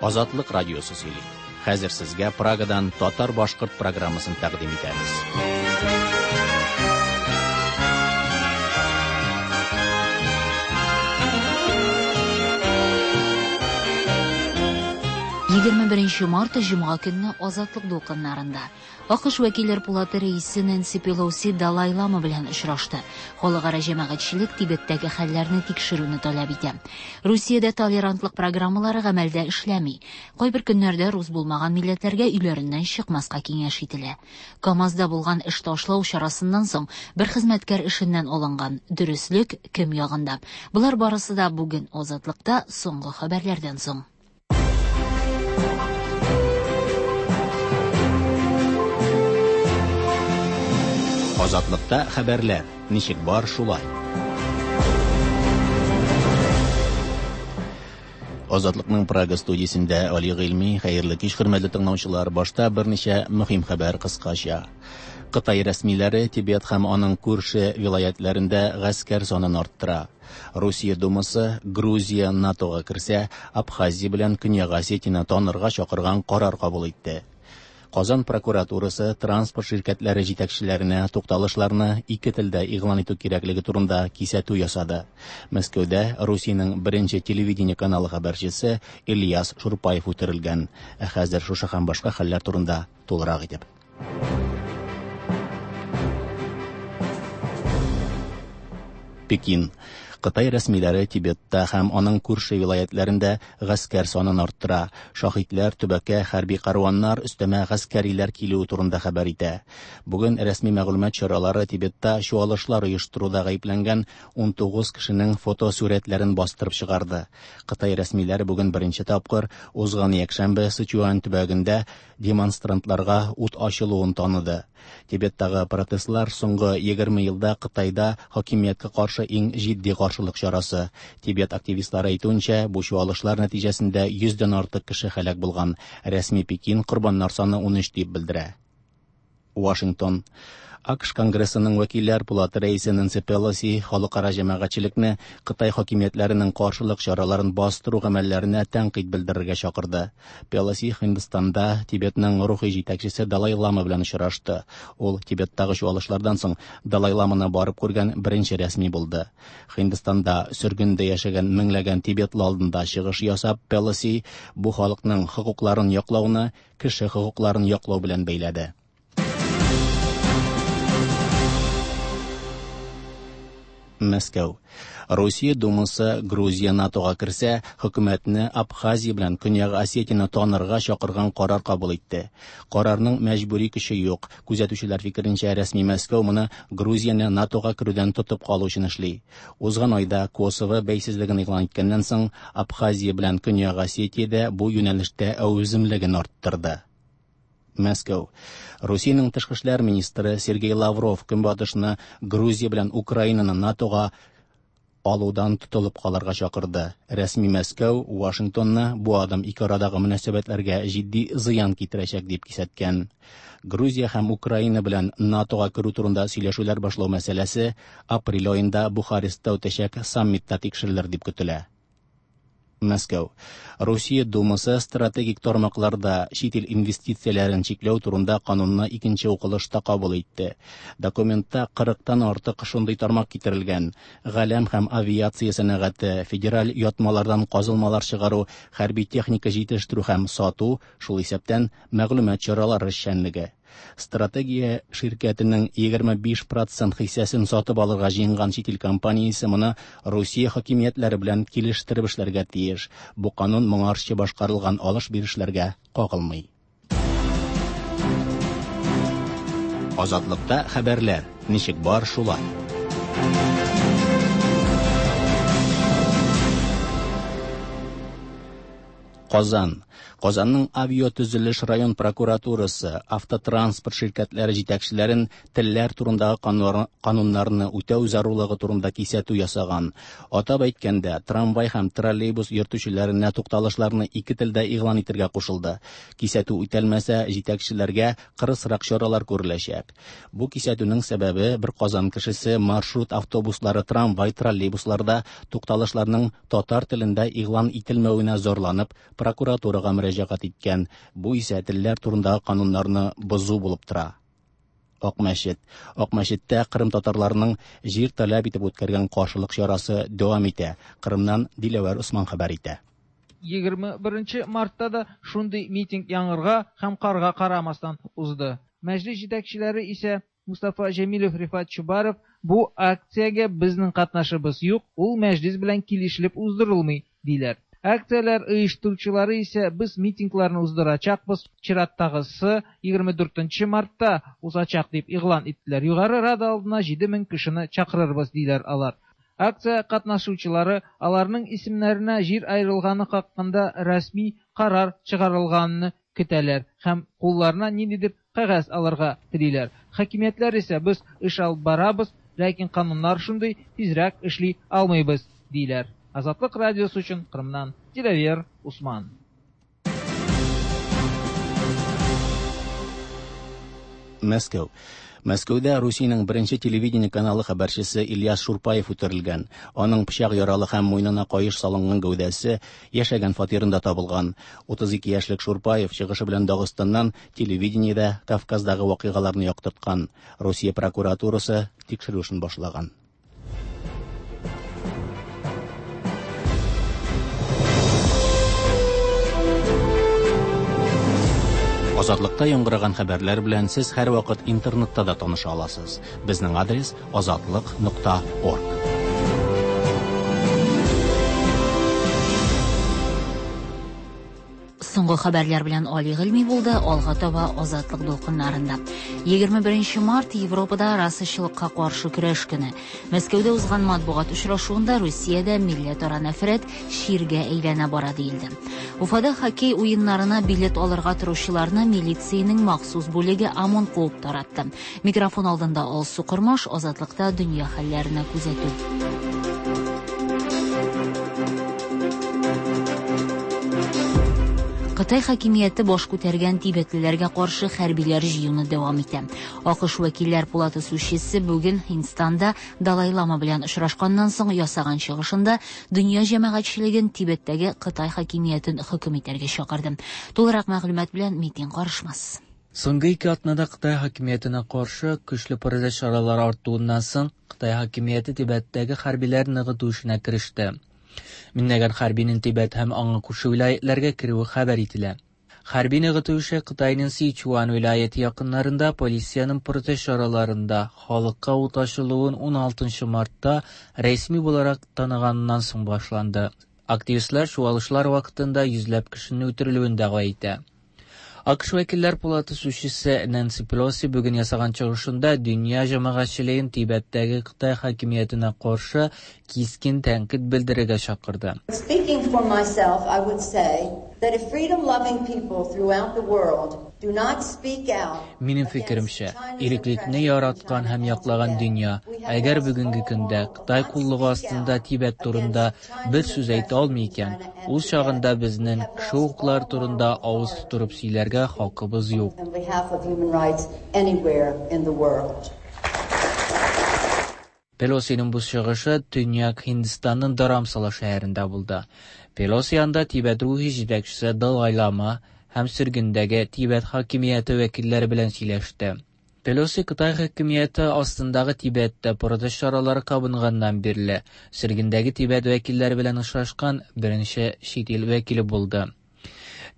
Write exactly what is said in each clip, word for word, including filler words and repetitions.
Азатлык радиосы сөйли. Хәзер сезгә Прагадан татар-башкорт программасын тәкъдим итәбез. Егерме беренче март җомга көнне Азатлык дулкыннарында АКШ вәкилләр пулаты рәисе Нэнси Пелоси Далай Лама белән очрашты. Халыкара җәмәгатьчелек Тибеттәге хәлләрне тикшерүне таләп итә. Русиядә толерантлык программалары гамәлдә эшләми. Кайбер көннәрдә рус булмаган милләтләргә өйләреннән чыкмаска киңәш ителә. КАМАЗда булган эш ташлау чарасыннан соң бер хезмәткәр эшеннән алынган. Дөреслек кем ягында? Болар барысы да бүген Азатлыкта соңгы хәбәрләрдән соң. Азатлыкта хәбәрләр ничек бар шулай. Азатлыкның Прага студиясендә Али Гыйльми, хәерле кич, хөрмәтле тыңлаучылар. Башта берничә мөһим хәбәр кыскача. Кытай рәсмиләре Тибет һәм аның күрше вилаятләрендә гаскәр санын арттыра. Русия Думасы Грузия НАТОга керсә, Абхазия белән Көньяк Осетияне танырга чакырган карар кабул итте. Казан прокуратурасы транспорт ширкәтләре җитәкчеләренә тукталышларны ике телдә игълан итү кирәклеге турында кисәтү ясады. Мәскәүдә Русиянең беренче телевидение каналы хәбәрчесе Ильяс Шурпаев үтерелгән. Ә хәзер шушы һәм башка хәлләр турында тулырак итеп. Пекин. Кытай рәсмиләре Тибетта һәм аның күрше вилаятләрендә гаскәр санын арттыра. Шаһитләр төбәккә хәрби каруаннар, өстәмә гаскәриләр килүе турында хәбәр итә. Бүген рәсми мәгълүмат чаралары Тибетта чуалышлар оештыруда гаепләнгән ун тугыз кешенең фотосурәтләрен бастырып чыгарды. Кытай рәсмиләре бүген беренче тапкыр узган якшәмбе Сычуан төбәгендә демонстрантларга ут ачылуын таныды. Тибеттагы протестлар соңгы егерме елда Кытайда хакимияткә каршы иң җитди каршылык чарасы. Тибет активистлары әйтүенчә, бу чуалышлар нәтиҗәсендә йөздән артык кеше һәлак булган. Рәсми Пекин корбаннар саны ун өч дип белдерә. Вашингтон. АКШ Конгрессының вәкилләр пулаты рәисе Нэнси Пелоси халыкара җәмәгатьчелекне Кытай хакимиятләренең каршылык чараларын бастыру гамәлләренә тәнкыйть белдерергә чакырды. Пелоси Һиндстанда Тибетның рухи җитәкчесе Далай Лама белән очрашты. Ул Тибеттагы чуалышлардан соң Далай Ламаны барып күргән беренче рәсми булды. Һиндстанда сөргендә яшәгән меңләгән тибетлы алдында чыгыш ясап, Пелоси бу халыкның хокукларын яклауны кеше хокукларын яклау белән бәйләде. Мәскәү. Русия Думасы Грузия НАТОга керсә, хөкүмәтне Абхазия белән Көньяк Осетияне танырга чакырган карар кабул итте. Карарның мәҗбүри көче юк. Күзәтүчеләр фикеренчә, рәсми Мәскәү моны Грузияне НАТОга керүдән тотып калу өчен эшли. Узган айда Косово бәйсезлеген игълан иткәннән соң, Абхазия белән Көньяк Осетия дә бу юнәлештә әүземлеген арттырды. Мәскәү. Русиянең тышкы эшләр министры Сергей Лавров Көнбатышны Грузия белән Украинаны НАТОга алудан тотылып калырга чакырды. Рәсми Мәскәү Вашингтонны бу адым ике арадагы мөнәсәбәтләргә җитди зыян китерәчәк дип кисәткән. Грузия һәм Украина белән НАТОга керү турында сөйләшүләр башлау мәсьәләсе апрель аенда Бухарестта үтәчәк саммитта тикшерелер дип көтелә. Мәскәү. Русия Думасы стратегик тармакларда чит ил инвестицияләрен чикләү турында канунны икенче укылышта кабул итте. Документта кырыктан артык шундый тармак китерелгән. Галәм һәм авиация сәнәгате, федераль ятмалардан казылмалар чыгару, хәрби техника җитештерү һәм сату, шул исәптән мәгълүмат чаралары эшчәнлеге. Стратегия ширкәтенең егерме биш процент хиссәсен сатып алырга җыенган чит ил компаниясе моны Русия хакимиятләре белән килештереп эшләргә тиеш. Бу канун моңарчы башкарылган алыш-бирешләргә кагылмый. Азатлыкта хәбәрләр ничек бар шулай. Казан. Казанның авиатөзелеш район прокуратурасы автотранспорт ширкәтләре җитәкчеләрен телләр турындагы кануннарны үтәү зарурлыгы турында кисәтү ясаган. Атап әйткәндә, трамвай һәм троллейбус йөртүчеләренә тукталышларны ике телдә игълан итәргә кушылды. Кисәтү үтәлмәсә, җитәкчеләргә кырысрак чаралар күреләчәк. Бу кисәтүнең сәбәбе бер Казан кешесе маршрут автобуслары, трамвай, троллейбусларда тукталышларның татар телендә игълан ителмәвенә зарланып, прокуратурага Думага мөрәҗәгать иткән. Бу исә телләр турындагы кануннарны бозу булып тора. Акмәчет. Акмәчеттә Кырым татарларының җир таләп итеп үткәргән каршылык чарасы дәвам итә. Кырымнан Диләвәр Усман хәбәр итә. Егерме беренче мартта да шундый митинг яңгырга һәм карга карамастан узды. Мәҗлис җитәкчеләре исә Мустафа Җәмилев, Рифат Чубаров бу акциягә безнең катнашыбыз юк, ул мәҗлис белән килешелеп уздырылмый, диләр. Акцияләр оештыручылары исә без митингларны уздырачакбыз, чираттагысы егерме дүртенче мартта узачак дип игълан иттеләр. Югары Рада алдына җиде мең кешене чакырырбыз, диләр алар. Акция катнашучылары аларның исемнәренә җир аерылганы хакында рәсми карар чыгарылганны көтәләр һәм кулларына ниндидер кәгазь алырга телиләр. Хакимиятләр исә без эш алып барабыз, ләкин кануннар шундый, тизрәк эшли алмыйбыз, диләр. Азатлык радиосы өчен Кырымнан Диләвер Усман. Мәскәү. Мәскәүдә Русиянең беренче телевидение каналы хәбәрчесе Ильяс Шурпаев үтерелгән. Аның пычак яралы һәм муенына каеш салынган гәүдәсе яшәгән фатирында табылган. Утыз ике яшьлек Шурпаев чыгышы белән Дагыстаннан телевидениедә Кавказдагы вакыйгаларны яктырткан. Русия прокуратурасы тикшерү эшен башлаган. Азатлыкта яңгыраган хәбәрләр белән сез һәрвакыт интернетта да таныша аласыз. Безнең адрес азатлык нокта орг. Соңгы хәбәрләр белән Али Гыйльми булды, алга таба Азатлык дулкыннарында. Егерме беренче март Европада расачылыкка каршы көрәш көне. Мәскәүдә узган матбугат очрашуында Русиядә милләтара нәфрәт чиргә әйләнә бара диелде. Уфада хоккей уеннарына билет алырга торучыларны милициянең махсус бүлеге ОМОН куып таратты. Микрофон алдында Алсу Кормаш, Азатлыкта дөнья хәлләренә күзәтү. Кытай хакимияте баш күтәргән тибетлеләргә каршы хәрбиләр җыюны дәвам итә. АКШ вәкилләр палатасы сүзчесе бүген Һиндстанда Далай Лама белән очрашканнан соң ясаган чыгышында дөнья җәмәгатьчелеген Тибеттәге Кытай хакимиятен хөкем итәргә чакырды. Тулырак мәгълүмат белән Митин Карышмас. Соңгы ике атнада Кытай хакимиятенә каршы көчле протест чаралары артуыннан соң Кытай хакимияте Тибеттәге хәрбиләр ныгыту эшенә кереште. Меңләгән хәрбинең Тибет һәм аңа күрше вилаятләргә керүе хәбәр ителә. Хәрби ныгыту эше Кытайның Сичуан вилаяте якыннарында полициянең протест чараларында халыкка ут ачылуын ун алтынчы мартта рәсми буларак таныганнан соң башланды. Активистлар чуалышлар вакытында йөзләп кешенең үтерелүен дәгъва итә. АКШ вәкилләр палатасы сүзчесе Нэнси Пелоси бүген ясаган чыгышында дөнья җәмәгатьчелеген Тибеттәге Кытай хакимиятенә каршы кискен тәнкыйть белдерергә чакырды. Speaking for myself, I would say that if freedom-loving people throughout the world do not speak out Минем фикеремчә, иреклекне яраткан һәм яклаган дөнья, әгәр бүгенге көндә Кытай куллыгы астында Тибет турында бер сүз әйтә алмый икән, ул чагында безнең кеше хокуклары турында авыз тутырып сөйләргә хакыбыз юк. On behalf of human rights anywhere in the world. Пелосиның бу чыгышы Төньяк Һиндстанның Dharamsala шәһәрендә булды. Пелоси анда Тибет рухи җитәкчесе Далай Лама һәм сөргендәге Тибет хакимияте вәкилләре белән сөйләште. Пелоси Кытай хакимияте астындагы Тибеттә протест чаралары кабынганнан бирле сөргендәге Тибет вәкилләре белән очрашкан беренче чит ил вәкиле булды.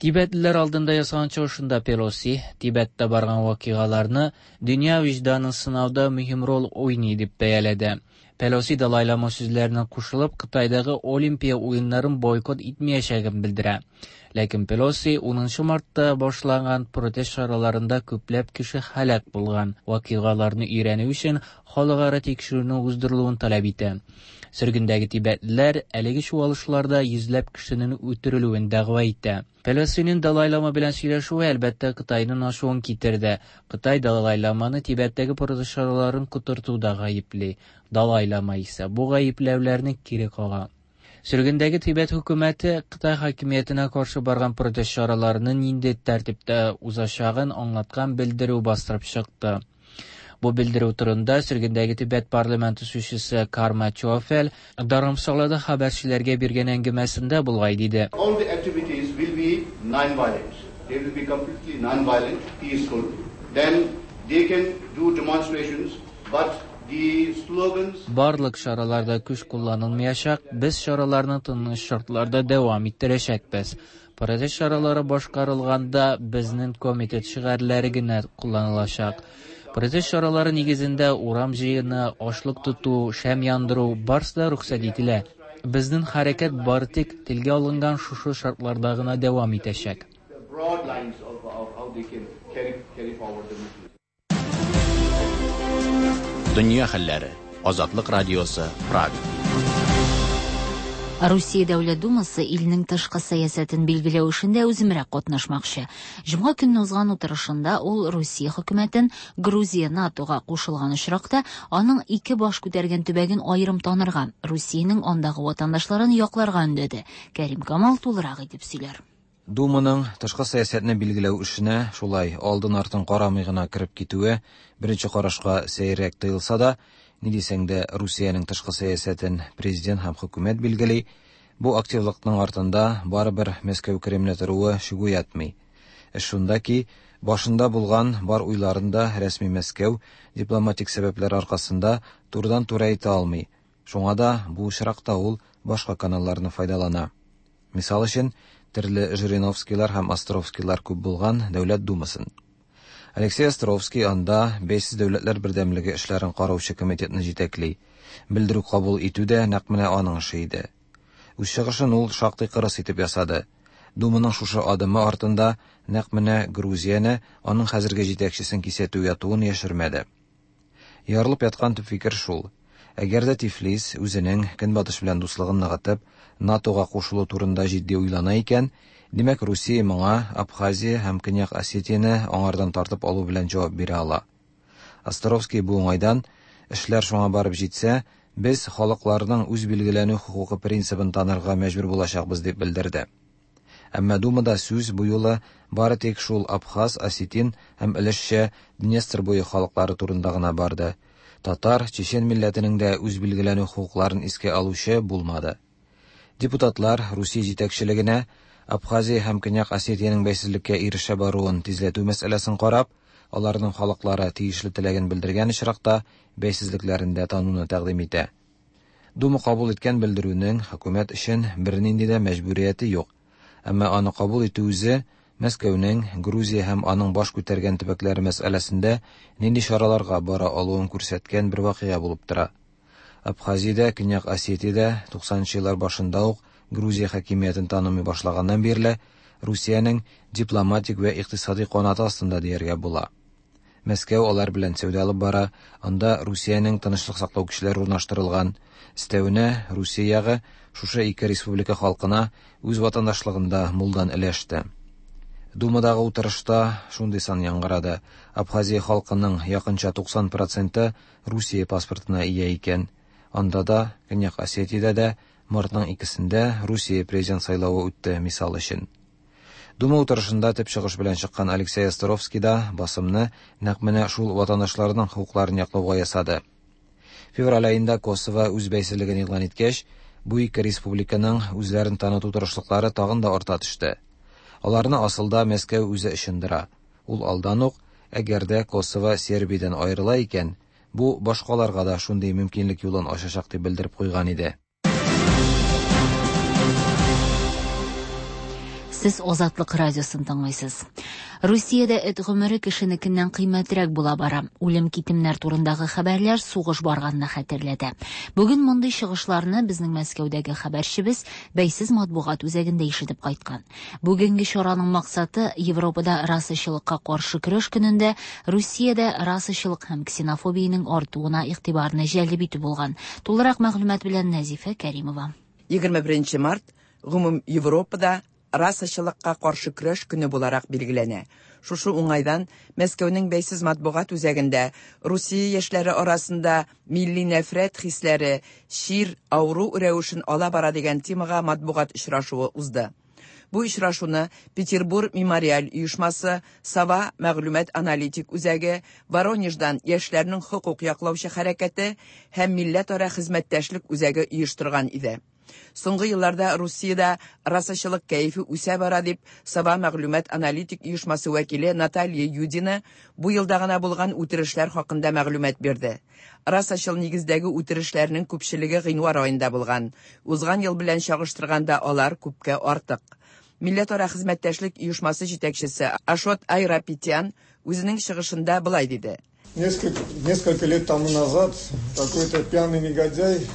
Тибетлеләр алдында ясаган чыгышында Пелоси Тибеттә барган вакыйгаларны дөнья вөҗданын сынауда мөһим роль уйный дип бәяләде. Пелоси Далай Лама сүзләренә кушылып Кытайдагы Олимпия уеннарын бойкот итмәячәген белдерә. Ләкин Пелоси унынчы мартта башланган протест чараларында күпләп кеше һәлак булган вакыйгаларны өйрәнү өчен халыкара тикшерүне уздырылуын таләп итә. Сөргендәге тибетлеләр әлеге чуалышларда йөзләп кешенең үтерелүен дәгъва итә. Пелосиның Далай Лама белән сөйләшүе әлбәттә Кытайның ачуын китерде. Кытай Далай Ламаны Тибеттәге протест чараларын котыртуда гаепли. Далай Лама исә бу гаепләүләрне кире кага. Сөргендәге Тибет хөкүмәте Кытай хакимиятенә каршы барган протест чараларының нинди тәртиптә узачагын аңлаткан белдерү бастырып чыкты. Бу белдерү турында сөргендәге Тибет парламенты сүзчесе Карма Чофел Dharamsalada хәбәрчеләргә биргән әңгәмәсендә булай диде. All the activities will be non-violent. They will be completely non-violent, peaceful. Then they can do demonstrations, but the slogans... Барлык чараларда көч кулланылмаячак, без чараларны тыныч шартларда дәвам иттерәчәкбез. Протест чаралары башкарылганда безнең комитет шигарьләре генә кулланылачак. Протест чаралары нигезендә урам җыены, ачлык тоту, шәм яндыру барысы да рөхсәт ителә. Безнең хәрәкәт бары тик телгә алынган шушы шартларда гына дәвам итәчәк. Broad lines of, of how they can carry, carry forward the movement. Дөнья хәлләре. Азатлык радиосы, Прага. Русия Дәүләт Думасы илнең тышкы сәясәтен билгеләү эшендә үземрәк катнашмакчы. Җомга көнне узган утырышында ул Русия хөкүмәтен Грузия НАТОга кушылган очракта аның ике баш күтәргән төбәген аерым танырга, Русиянең андагы ватандашларын якларга өндәде. Кәрим Камал тулырак итеп сөйләр. Думаның тышкы сәясәтне билгеләү эшенә шулай алдын-артын карамый гына кереп китүе беренче карашка сәеррәк тоелса да, ни дисәң дә Русиянең тышкы сәясәтен президент һәм хөкүмәт билгели, бу активлыкның артында барыбер Мәскәү Кремле торуы шик уятмый. Эш шунда ки, башында булган бар уйларын да рәсми Мәскәү дипломатик сәбәпләр аркасында турыдан-туры әйтә алмый. Шуңа да бу очракта ул башка каналларны файдалана. Мисал өчен, төрле Жириновскийлар һәм Островскийлар күп булган Дәүләт Думасын. Алексей Островский анда Бәйсез дәүләтләр бердәмлеге эшләрен караучы комитетны җитәкли. Белдерү кабул итү дә нәкъ менә аның эше иде. Үз чыгышын ул шактый кырыс итеп ясады. Думаның шушы адымы артында нәкъ менә Грузияне, аның хәзерге җитәкчесен кисәтү ятуын яшермәде. Ярылып яткан төп фикер шул. Әгәр дә Тифлис үзенең Көнбатыш белән дуслыгын ныгытып, НАТОга кушылу турында җитди уйлана икән, димәк Русия моңа Абхазия һәм Көньяк Осетияне аңардан тартып алу белән җавап бирә ала. Островский бу уңайдан, эшләр шуңа барып җитсә, без халыкларның үз билгеләнү хокукы принцибын танырга мәҗбүр булачакбыз дип белдерде. Әмма Думада сүз бу юлы бары тик шул абхаз, осетин һәм өлешчә Днестр буе халыклары турында гына барды. Татар, чечен милләтенең дә үз билгеләнү хокукларын искә алучы булмады. Депутатлар Русия җитәкчелегенә Абхазия һәм Көньяк Осетиянең бәйсезлеккә ирешә баруын тизләтү мәсьәләсен карап, аларның халыклары тиешле теләген белдергән очракта бәйсезлекләрен дә тануны тәкъдим итә. Дума кабул иткән белдерүнең хөкүмәт өчен бернинди дә мәҗбүрияте юк. Әмма аны кабул итү үзе Мәскәүнең Грузия һәм аның баш күтәргән төбәкләре мәсьәләсендә нинди чараларга бара алуын күрсәткән бер вакыйга булып тора. Абхазиядә, Көньяк Осетиядә туксанынчы еллар башында ук Грузия хакимиятен танымый башлаганнан бирле Русиянең дипломатик вә икътисади канаты астында дияргә була. Мәскәү алар белән сәүдә алып бара, анда Русиянең тынычлык саклау көчләре урнаштырылган. Өстәвенә Русия ягы шушы ике республика халкына үз ватандашлыгында мулдан өләште. Думадагы утырышта шундый сан яңгырады. Абхазия халкының якынча туксан проценты Русия паспортына ия икән. Анда да, Көньяк Осетиядә дә мартның икесендә Русия президент сайлавы үтте, мисал өчен. Дума утырышында төп чыгыш белән чыккан Алексей Островский да басымны нәкъ менә шул ватандашларның хокукларын яклауга ясады. Февраль аенда Косово үз бәйсезлеген игълан иткәч, бу ике республиканың үзләрен таныту тырышлыклары тагын да арта төште. Аларны асылда Мәскәү үзе ышындыра. Ул алдан ук, әгәр дә Косово Сербиядән аерыла икән, бу башкаларга да шундый мөмкинлек юлын ачачак дип белдереп куйган иде. Сез Азатлык радиосын тыңлыйсыз. Русиядә эт гомере кешенекеннән кыйммәтрәк була бара. Үлем-китемнәр турындагы хәбәрләр сугыш барганны хәтерләтә. Бүген мондый чыгышларны безнең Мәскәүдәге хәбәрчебез Бәйсез матбугат үзәгендә ишетеп кайткан. Бүгенге чараның максаты Европада расачылыкка каршы көрәш көнендә Русиядә расачылык һәм ксенофобиянең артуына игътибарны җәлеп итү булган. Тулырак мәгълүмат белән Нәзифә Кәримова. егерме беренче март гомум Европада расачылыкка каршы көрәш көне буларак билгеләнә. Шушы уңайдан Мәскәүнең Бәйсез матбугат үзәгендә Русия яшьләре арасында милли нәфрәт хисләре чир, авыру рәвешен ала бара дигән темага матбугат очрашуы узды. Бу очрашуны Петербург мемориаль оешмасы, Сава мәгълүмат аналитик үзәге, Воронеждан яшьләрнең хокук яклаучы хәрәкәте һәм милләтара хезмәттәшлек үзәге оештырган иде. Соңгы елларда Русиядә расачылык кәефе үсә бара дип Сова мәгълүмат аналитик оешмасы вәкиле Наталья Юдина бу елда гына булган үтерешләр хакында мәгълүмат бирде. Расачыл нигездәге үтерешләрнең күпчелеге гыйнвар аенда булган. Узган ел белән чагыштырганда алар күпкә артык. Милләтара хезмәттәшлек оешмасы җитәкчесе Ашот Айрапетян үзенең чыгышында болай диде. Несколько, несколько лет тому назад какой-то пьяный негодяй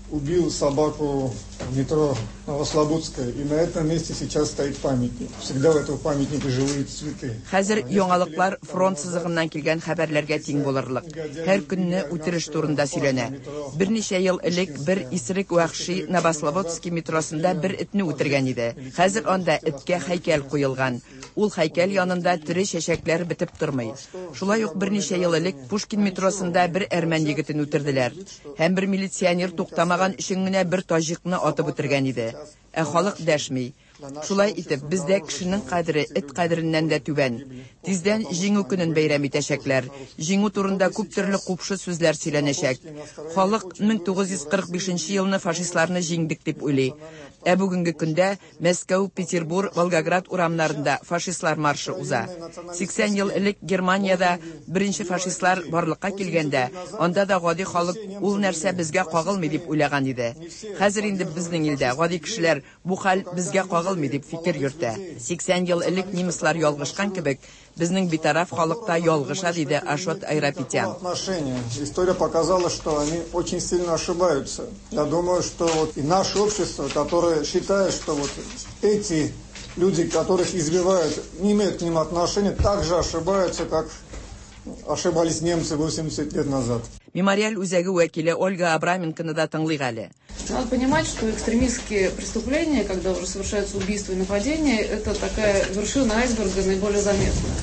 убил собаку в метро Новослободская, и на этом месте сейчас стоит памятник. Всегда у этого памятника живые цветы. Хәзер яңалыклар фронт сызыгыннан килгән хәбәрләргә тиң булырлык. Һәр көнне үтереш турында сөйләнә. Берничә ел элек бер исерек вәхши Новослободский метросында бер этне үтергән иде. Хәзер анда эткә һәйкәл куелган. Ул һәйкәл янында тере чәчәкләр бетеп тормый. Шулай ук берничә ел элек Пушкин метросында бер әрмән егетен үтерделәр. Һәм бер милиционер туктамаган өчен генә бер таҗикны атып үтергән иде. Ә халык дәшми. Шулай итеп, бездә кешенең кадере эт кадереннән дә түбән. Тиздән Җиңү көнен бәйрәм итәчәкләр. Җиңү турында күп төрле купшы сүзләр сөйләнәчәк. Халык мең тугыз йөз кырык бишенче елны фашистларны җиңдек дип уйлый. Ә бүгенге көндә Мәскәү, Петербург, Волгоград урамнарында фашистлар маршы уза. Сиксән ел элек Германиядә беренче фашистлар барлыкка килгәндә, анда да гади халык ул нәрсә безгә кагылмый дип уйлаган иде. Хәзер инде безнең илдә гади кешеләр бу хәл безгә кагылмый дип фикер йөртә. Сиксән ел элек немецлар ялгышкан кебек, безнең битараф халыкта ялгыша, диде Ашот Айрапетян. История показала, что они очень сильно ошибаются. Я думаю, что вот и наше общество, которое считает, что вот эти люди, которых избивают, не имеют к ним отношения, также ошибаются, как ошибались немцы восемьдесят лет назад. Мемориаль үзәге вәкиле Ольга Абраменконы да тыңлыйк әле. Надо понимать, что экстремистские преступления, когда уже совершаются убийства и нападения, это такая вершина айсберга наиболее заметная.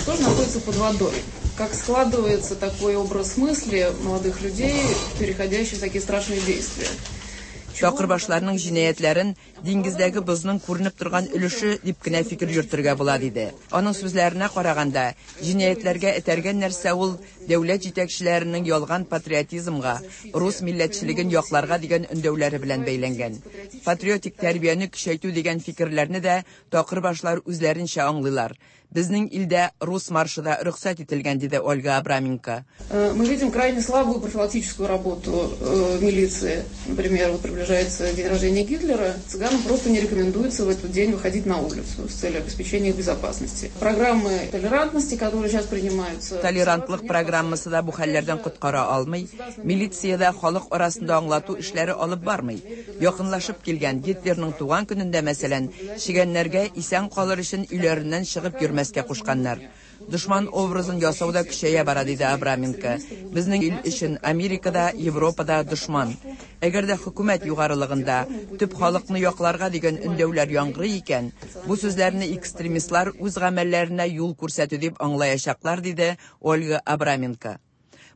Что же находится под водой? Как складывается такой образ мысли молодых людей, переходящий в такие страшные действия? Чакырбашларның җинаятьләрен диңгездәге бозның күренеп торган өлеше дип кенә фикер йөртергә була, диде. Аның сүзләренә караганда, җинаятьләргә этәргән нәрсә ул дәүләт җитәкчеләренең ялган патриотизмга, рус милләтчелеген якларга дигән өндәүләре белән бәйләнгән. Патриотик тәрбияне көчәйтү дигән фикерләрне дә такырбашлар үзләренчә аңлыйлар. Безнең илдә рус маршы да рөхсәт ителгән, диде Ольга Абраменко. Мы видим крайне слабую профилактическую работу милиции. Например, вот приближается день рождения Гитлера, цыганам просто не рекомендуется в этот день выходить на улицу с целью обеспечения их безопасности. Программы толерантности, которые сейчас принимаются... Толерантлык программасы да бу хәлләрдән коткара алмый. Милиция дә халык арасында аңлату эшләре алып бармый. Якынлашып килгән Гитлерның туган көнендә, мәсәлән, чегәннәргә исән калыр өчен өйләреннән чыгып йөрмәскә кушканнар. Дошман образын ясау да көчәя бара, диде Абраменко. Безнең ил өчен Америкада, Европада дошман. Әгәр дә хөкүмәт югарылыгында төп халыкны якларга дигән өндәүләр яңгырый икән, бу сүзләрне экстремистлар үз гамәлләренә юл күрсәтү дип аңлаячаклар, диде Ольга Абраменко.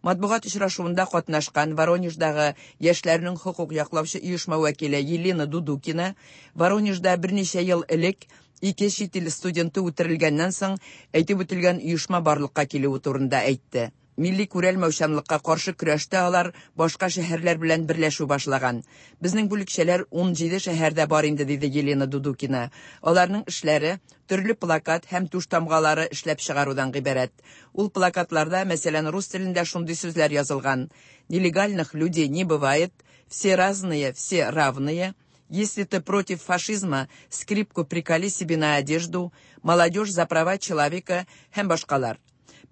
Матбугат очрашуында катнашкан Воронеждагы яшьләрнең хокук яклаучы оешма вәкиле Елена Дудукина Воронежда берничә ел элек ике чит ил студенты үтерелгәннән соң әйтеп үтелгән оешма барлыкка килүе турында әйтте. Милли күрәлмәүчәнлеккә каршы көрәштә алар башка шәһәрләр белән берләшү башлаган. Безнең бүлекчәләр ун җиде шәһәрдә бар инде, диде Елена Дудукина. Аларның эшләре төрле плакат һәм туш тамгалары эшләп чыгарудан гыйбарәт. Ул плакатларда, мәсәлән, рус телендә шундый сүзләр язылган: Нелегальных людей не бывает, все разные, все равные. Если ты против фашизма, скрипку приколи себе на одежду, молодежь за права человека һәм башкалар.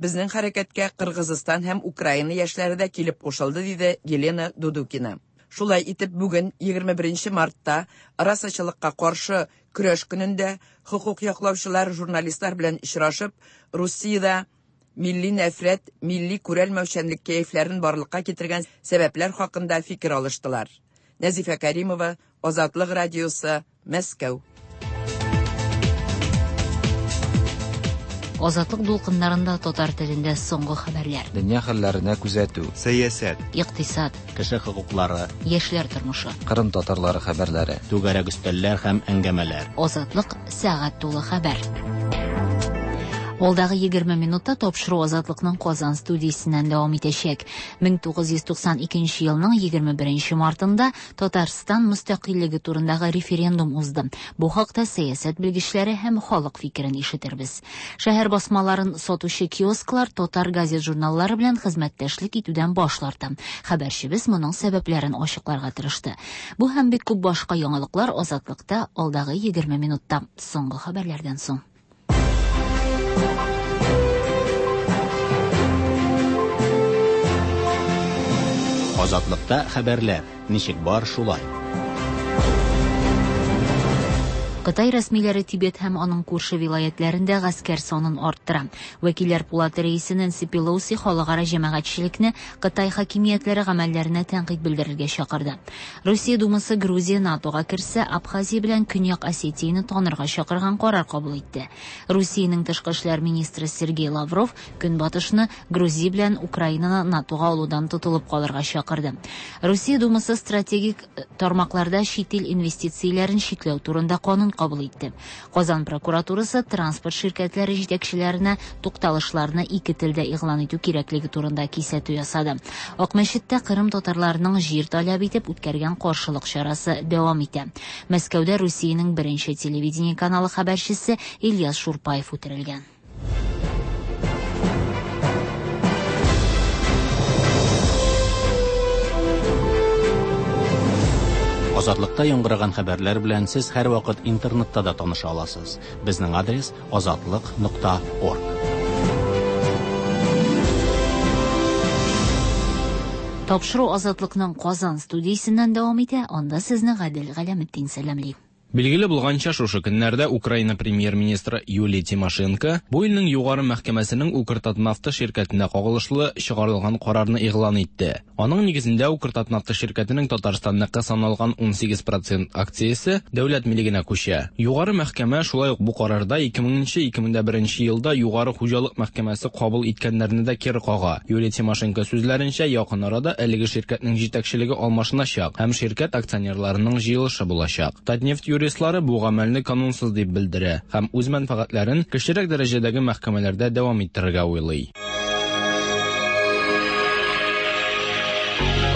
Безнең хәрәкәткә Кыргызстан һәм Украина яшьләре дә килеп кушылды, диде Елена Дудукина. Шулай итеп, бүген егерме беренче мартта расачылыкка каршы көрәш көнендә хокук яклаучылар журналистлар белән очрашып, Русиядә милли нәфрәт, милли күрәлмәүчәнлек кәефләрен барлыкка китергән сәбәпләр хакында фикер алыштылар. Нәзифә Каримова, Азатлык радиосы, Мәскәү. Азатлык дулкыннарында татар телендә соңгы хәбәрләр. Дөнья хәлләренә күзәтү, сәясәт, икътисад, кеше хокуклары, яшьләр тормышы, Кырым татарлары хәбәрләре, түгәрәк өстәлләр һәм әңгәмәләр. Азатлык сәгать тулы хәбәр. Алдагы егерме минутта тапшыру Азатлыкның Казан студиясеннән дәвам итәчәк. мең тугыз йөз туксан икенче елның егерме беренче мартында Татарстан мөстәкыйльлеге турындагы референдум узды. Бу хакта сәясәт белгечләре һәм халык фикерен ишетербез. Шәһәр басмаларын сатучы киосклар татар газет-журналлары белән хезмәттәшлек итүдән баш тарта. Хәбәрчебез моның сәбәпләрен ачыкларга тырышты. Бу һәм бик күп башка яңалыклар Азатлыкта алдагы егерме минутта. Соңгы хәбәрләрдән соң. Азатлыкта хәбәрләр ничек бар шулай. Кытай рәсмиләре Тибет һәм аның күрше вилаятләрендә гаскәр санын арттыра. Вәкилләр пулаты рәисе Нэнси Пелоси халыкара җәмәгатьчелекне Кытай хакимиятләре гамәлләренә тәнкыйть белдерергә чакырды. Русия Думасы Грузия НАТОга керсә, Абхазия белән Көньяк Осетияне танырга чакырган карар кабул итте. Русиянең тышкы эшләр министры Сергей Лавров Көнбатышны Грузия белән Украинаны НАТОга алудан тотылып калырга чакырды. Русия Думасы стратегик тармакларда чит ил инвестицияләрен чикләү турында канун кабул итте. Казан прокуратурасы транспорт ширкәтләре җитәкчеләренә тукталышларны ике телдә игълан итү кирәклеге турында кисәтү ясады. Акмәчеттә Кырым татарларының җир таләп итеп үткәргән каршылык чарасы дәвам итә. Мәскәүдә Русиянең беренче телевидение каналы хәбәрчесе Ильяс Шурпаев үтерелгән. Азатлыкта яңгыраган хәбәрләр белән сез һәрвакыт интернетта да таныша аласыз. Безнең адрес азатлык нокта орг. Тапшыру Азатлыкның Казан студиясеннән дәвам итә. Анда сезне Гадел Галәметдин сәламли. Билгеле булганча, шушы көннәрдә Украина премьер-министры Юлия Тимошенко бу илнең югары мәхкәмәсенең Укртатнафта ширкәтенә кагылышлы чыгарылган карарны игълан итте. Аның нигезендә Укртатнафта ширкәтенең Татарстанныкы саналган ун сигез процент акциясе дәүләт милегенә күчә. Югары мәхкәмә шулай ук бу карарда ике меңенче ике мең дә беренче елда Югары хуҗалык мәхкәмәсе кабул иткәннәрне дә кире кага. Юлия Тимошенко сүзләренчә, якын арада әлеге ширкәтнең җитәкчелеге алмашыначак һәм ширкәт акционерларының җыелышы булачак. Татнефть юристлары бу гамәлне канунсыз дип белдерә һәм үз мәнфәгатьләрен кечерәк дәрәҗәдәге мәхкәмәләрдә дәвам иттерергә уйлый.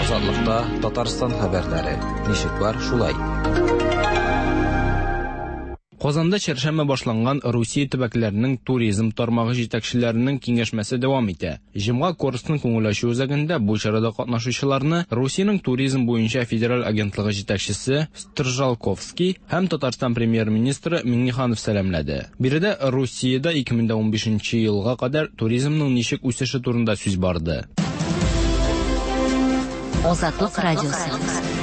Азатлыкта Татарстан хәбәрләре ничек бар шулай. Казанда чәршәмбе башланган Русия төбәкләренең туризм тармагы җитәкчеләренең киңәшмәсе дәвам итә. Җомга Корстон күңел ачу үзәгендә бу чарада катнашучыларны Русиянең туризм буенча федераль агентлыгы җитәкчесе Стржалковский һәм Татарстан премьер-министры Миңнеханов сәламләде. Биредә Русиядә ике мең унбишенче елга кадәр туризмның ничек үсеше турында сүз барды. Азатлык радиосы.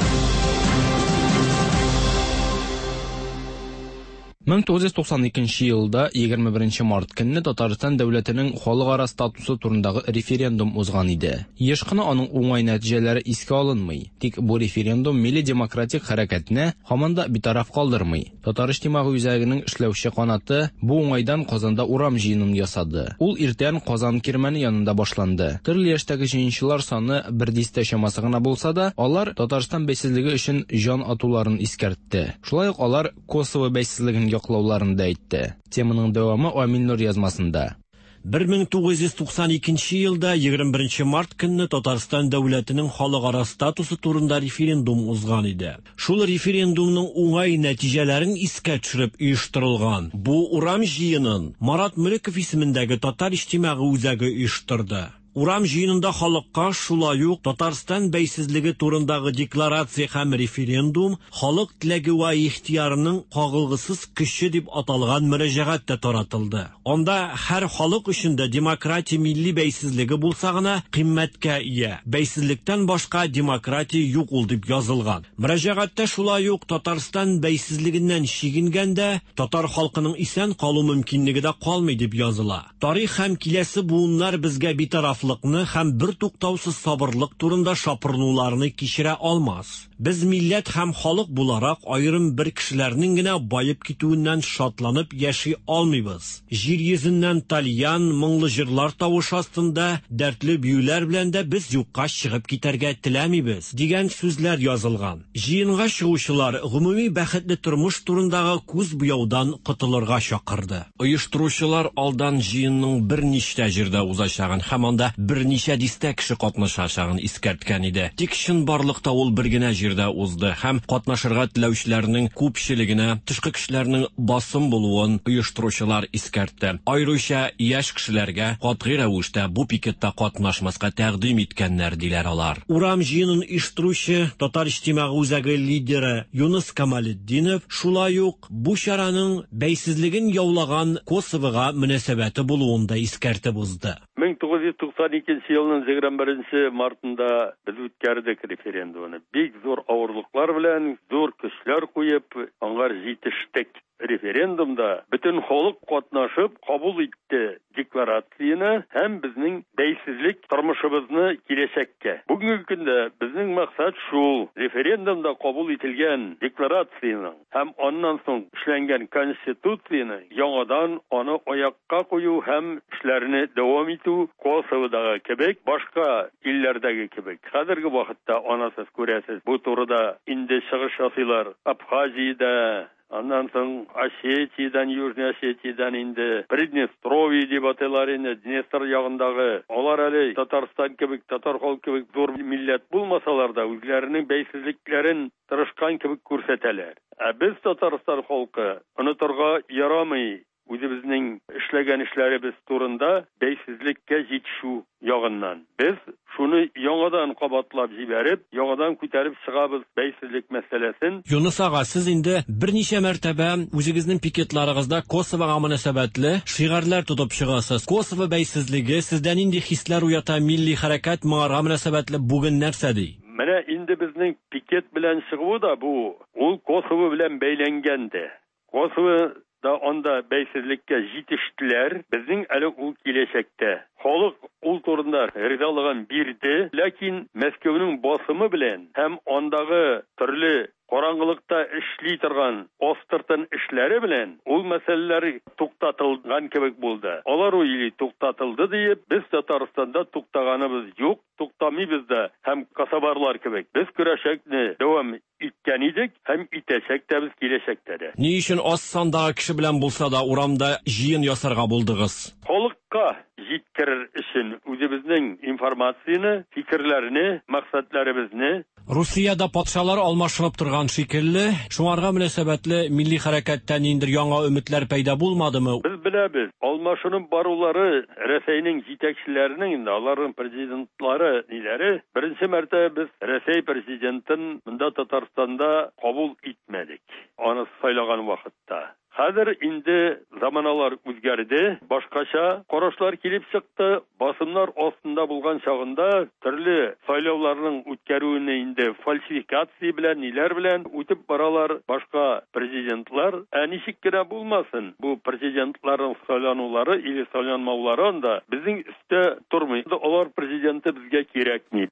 мең тугыз йөз туксан икенче елда егерме беренче март көнне Татарстан дәүләтенең халыкара статусы турындагы референдум узган иде. Еш кына аның уңай нәтиҗәләре искә алынмый. Тик бу референдум милли демократик хәрәкәтне һаман да битараф калдырмый. Татар иҗтимагый үзәгенең эшләүче канаты бу уңайдан Казанда урам җыенын ясады. Ул иртән Казан кирмәне янында башланды. Төрле яшьтәге җыенчылар саны бер дистә чамасы гына булса да, алар Татарстан бәйсезлеге өчен җан атуларын искәртте. Шулай ук алар Косово бәйсезлеген яклауларын да әйтте. Теманың дәвамы Амил Нур язмасында. бер мең тугыз йөз туксан икенче елда егерме беренче март көнне Татарстан дәүләтенең халыкара статусы турында референдум узган иде. Шул референдумның уңай нәтиҗәләрен искә төшереп оештырылган бу урам җыенын Марат Мөлеков исемендәге Татар иҗтимагый үзәге оештырды. Урам җыенында халыкка шулай ук Татарстан бәйсезлеге турындагы декларация һәм референдум халык теләге вә ихтыярының кагылгысыз көче дип аталган мөрәҗәгать тә таратылды. Анда һәр халык өчен дә демократия милли бәйсезлеге булса гына кыйммәткә ия. Бәйсезлектән башка демократия юк ул дип язылган. Мөрәҗәгатьтә шулай ук Татарстан бәйсезлегеннән чигенгәндә татар халкының исән калу мөмкинлеге дә калмый дип языла. Тарих һәм киләсе буыннар безгә битараф битарафлыкны һәм бертуктаусыз сабырлык турында шапырынуларны кичерә алмас. Без милләт һәм халык буларак аерым бер кешеләрнең генә баеп китүеннән шатланып яши алмыйбыз. Җир йөзеннән тальян, моңлы җырлар тавышы астында дәртле биюләр белән дә без юкка чыгып китәргә теләмибез, дигән сүзләр язылган. Җыенга чыгучылар гомуми бәхетле тормыш турындагы күз буяудан котылырга чакырды. Оештыручылар алдан җыенның берничә җирдә узачагын һәм анда берничә дистә кеше катнашачагын искәрткән иде. Тик чынбарлыкта ул бер генә җирдә узды һәм катнашырга теләүчеләрнең күпчелегенә тышкы көчләрнең басым булуын оештыручылар искәртте. Аеруча яшь кешеләргә катгый рәвештә бу пикетта катнашмаска тәкъдим иткәннәр, диләр алар. Урам җыенын оештыручы Татар иҗтимагый үзәге лидеры Юныс Камалетдинов шулай ук бу чараның бәйсезлеген яулаган Косовога мөнәсәбәте булуын да искәртеп узды. мең тугыз йөз туксан икенче елның егерме беренче мартында без үткәрдек референдумны. Бик зур авырлыклар белән, зур көчләр куеп, аңар җитештек. Референдумда бөтен халык катнашып кабул итте декларацияне һәм безнең бәйсезлек тормышыбызны киләчәккә. Бүгенге көндә безнең максат шул: референдумда кабул ителгән декларацияне һәм аннан соң эшләнгән конституцияне яңадан аны аякка кую һәм эшләрне дәвам итү Косоводагы кебек, башка илләрдәге кебек. Хәзерге вакытта анасыз күрәсез, бу турыда инде чыгыш ясыйлар. Абхазиядә, аннан соң Осетиядән, Южный Осетиядән инде Приднестровье дип атыйлар инде, Днестр ягындагы. Алар әле Татарстан кебек, татар халкы кебек зур милләт булмасалар да, үзләренең бәйсезлекләрен тырышкан кебек күрсәтәләр. Ә без Татарстан халкы онытырга ярамый үзебезнең эшләгән эшләребез турында бәйсезлеккә җитешү ягыннан. Без шуны яңадан кабатлап җибәреп, яңадан күтәреп чыгабыз бәйсезлек мәсьәләсен. Юныс ага, сез инде берничә мәртәбә үзегезнең пикетларыгызда Косовога мөнәсәбәтле шигарьләр тотып чыгасыз. Косово бәйсезлеге сездә нинди хисләр уята, милли хәрәкәт моңарга мөнәсәбәтле бүген нәрсә ди? Менә инде безнең пикет белән чыгуы да бу, ул Косово белән бәйләнгән дә. Косово да анда бәйсезлеккә җитештеләр, безнең әле ул киләчәктә. Халык ул турында ризалыгын бирде, ләкин Мәскәүнең басымы белән һәм андагы төрле караңгылыкта эшли торган астыртын эшләре белән ул мәсьәләләр туктатылган кебек булды. Алар уйлый туктатылды диеп, без Татарстанда туктаганыбыз юк, туктамыйбыз да һәм касабарлар кебек. Без көрәшәкне дәвам иткән идек һәм итәчәк тә без киләчәктә дә. Ни өчен аз сандагы кеше белән булса да урамда җыен ясарга булдыгыз? Халыкка җиткерер өчен үзебезнең информацияне, фикерләрне, максатларыбызны. Русиядә патшалар алмашынып торган шикелле, шуңарга мөнәсәбәтле милли хәрәкәттә ниндидер яңа өметләр пәйда булмадымы? Без беләбез, алмашынып барулары Рәсәйнең җитәкчеләренең инде аларның президентлары ниләре. Беренче мәртәбә без Рәсәй президентын монда Татарстанда кабул итмәдек. Аны сайлаган вакытта. Хәзер инде заманалар үзгәрде, башкача карашлар килеп чыкты. Басымнар астында булган чагында төрле сайлауларның үткәрүен инде фальсификация белән, ниләр белән үтеп баралар башка президентлар. Ә ничек кенә булмасын, бу президентларның сайланулары или сайланмаулары анда безнең өстә тормый. Алар президенты безгә кирәкми.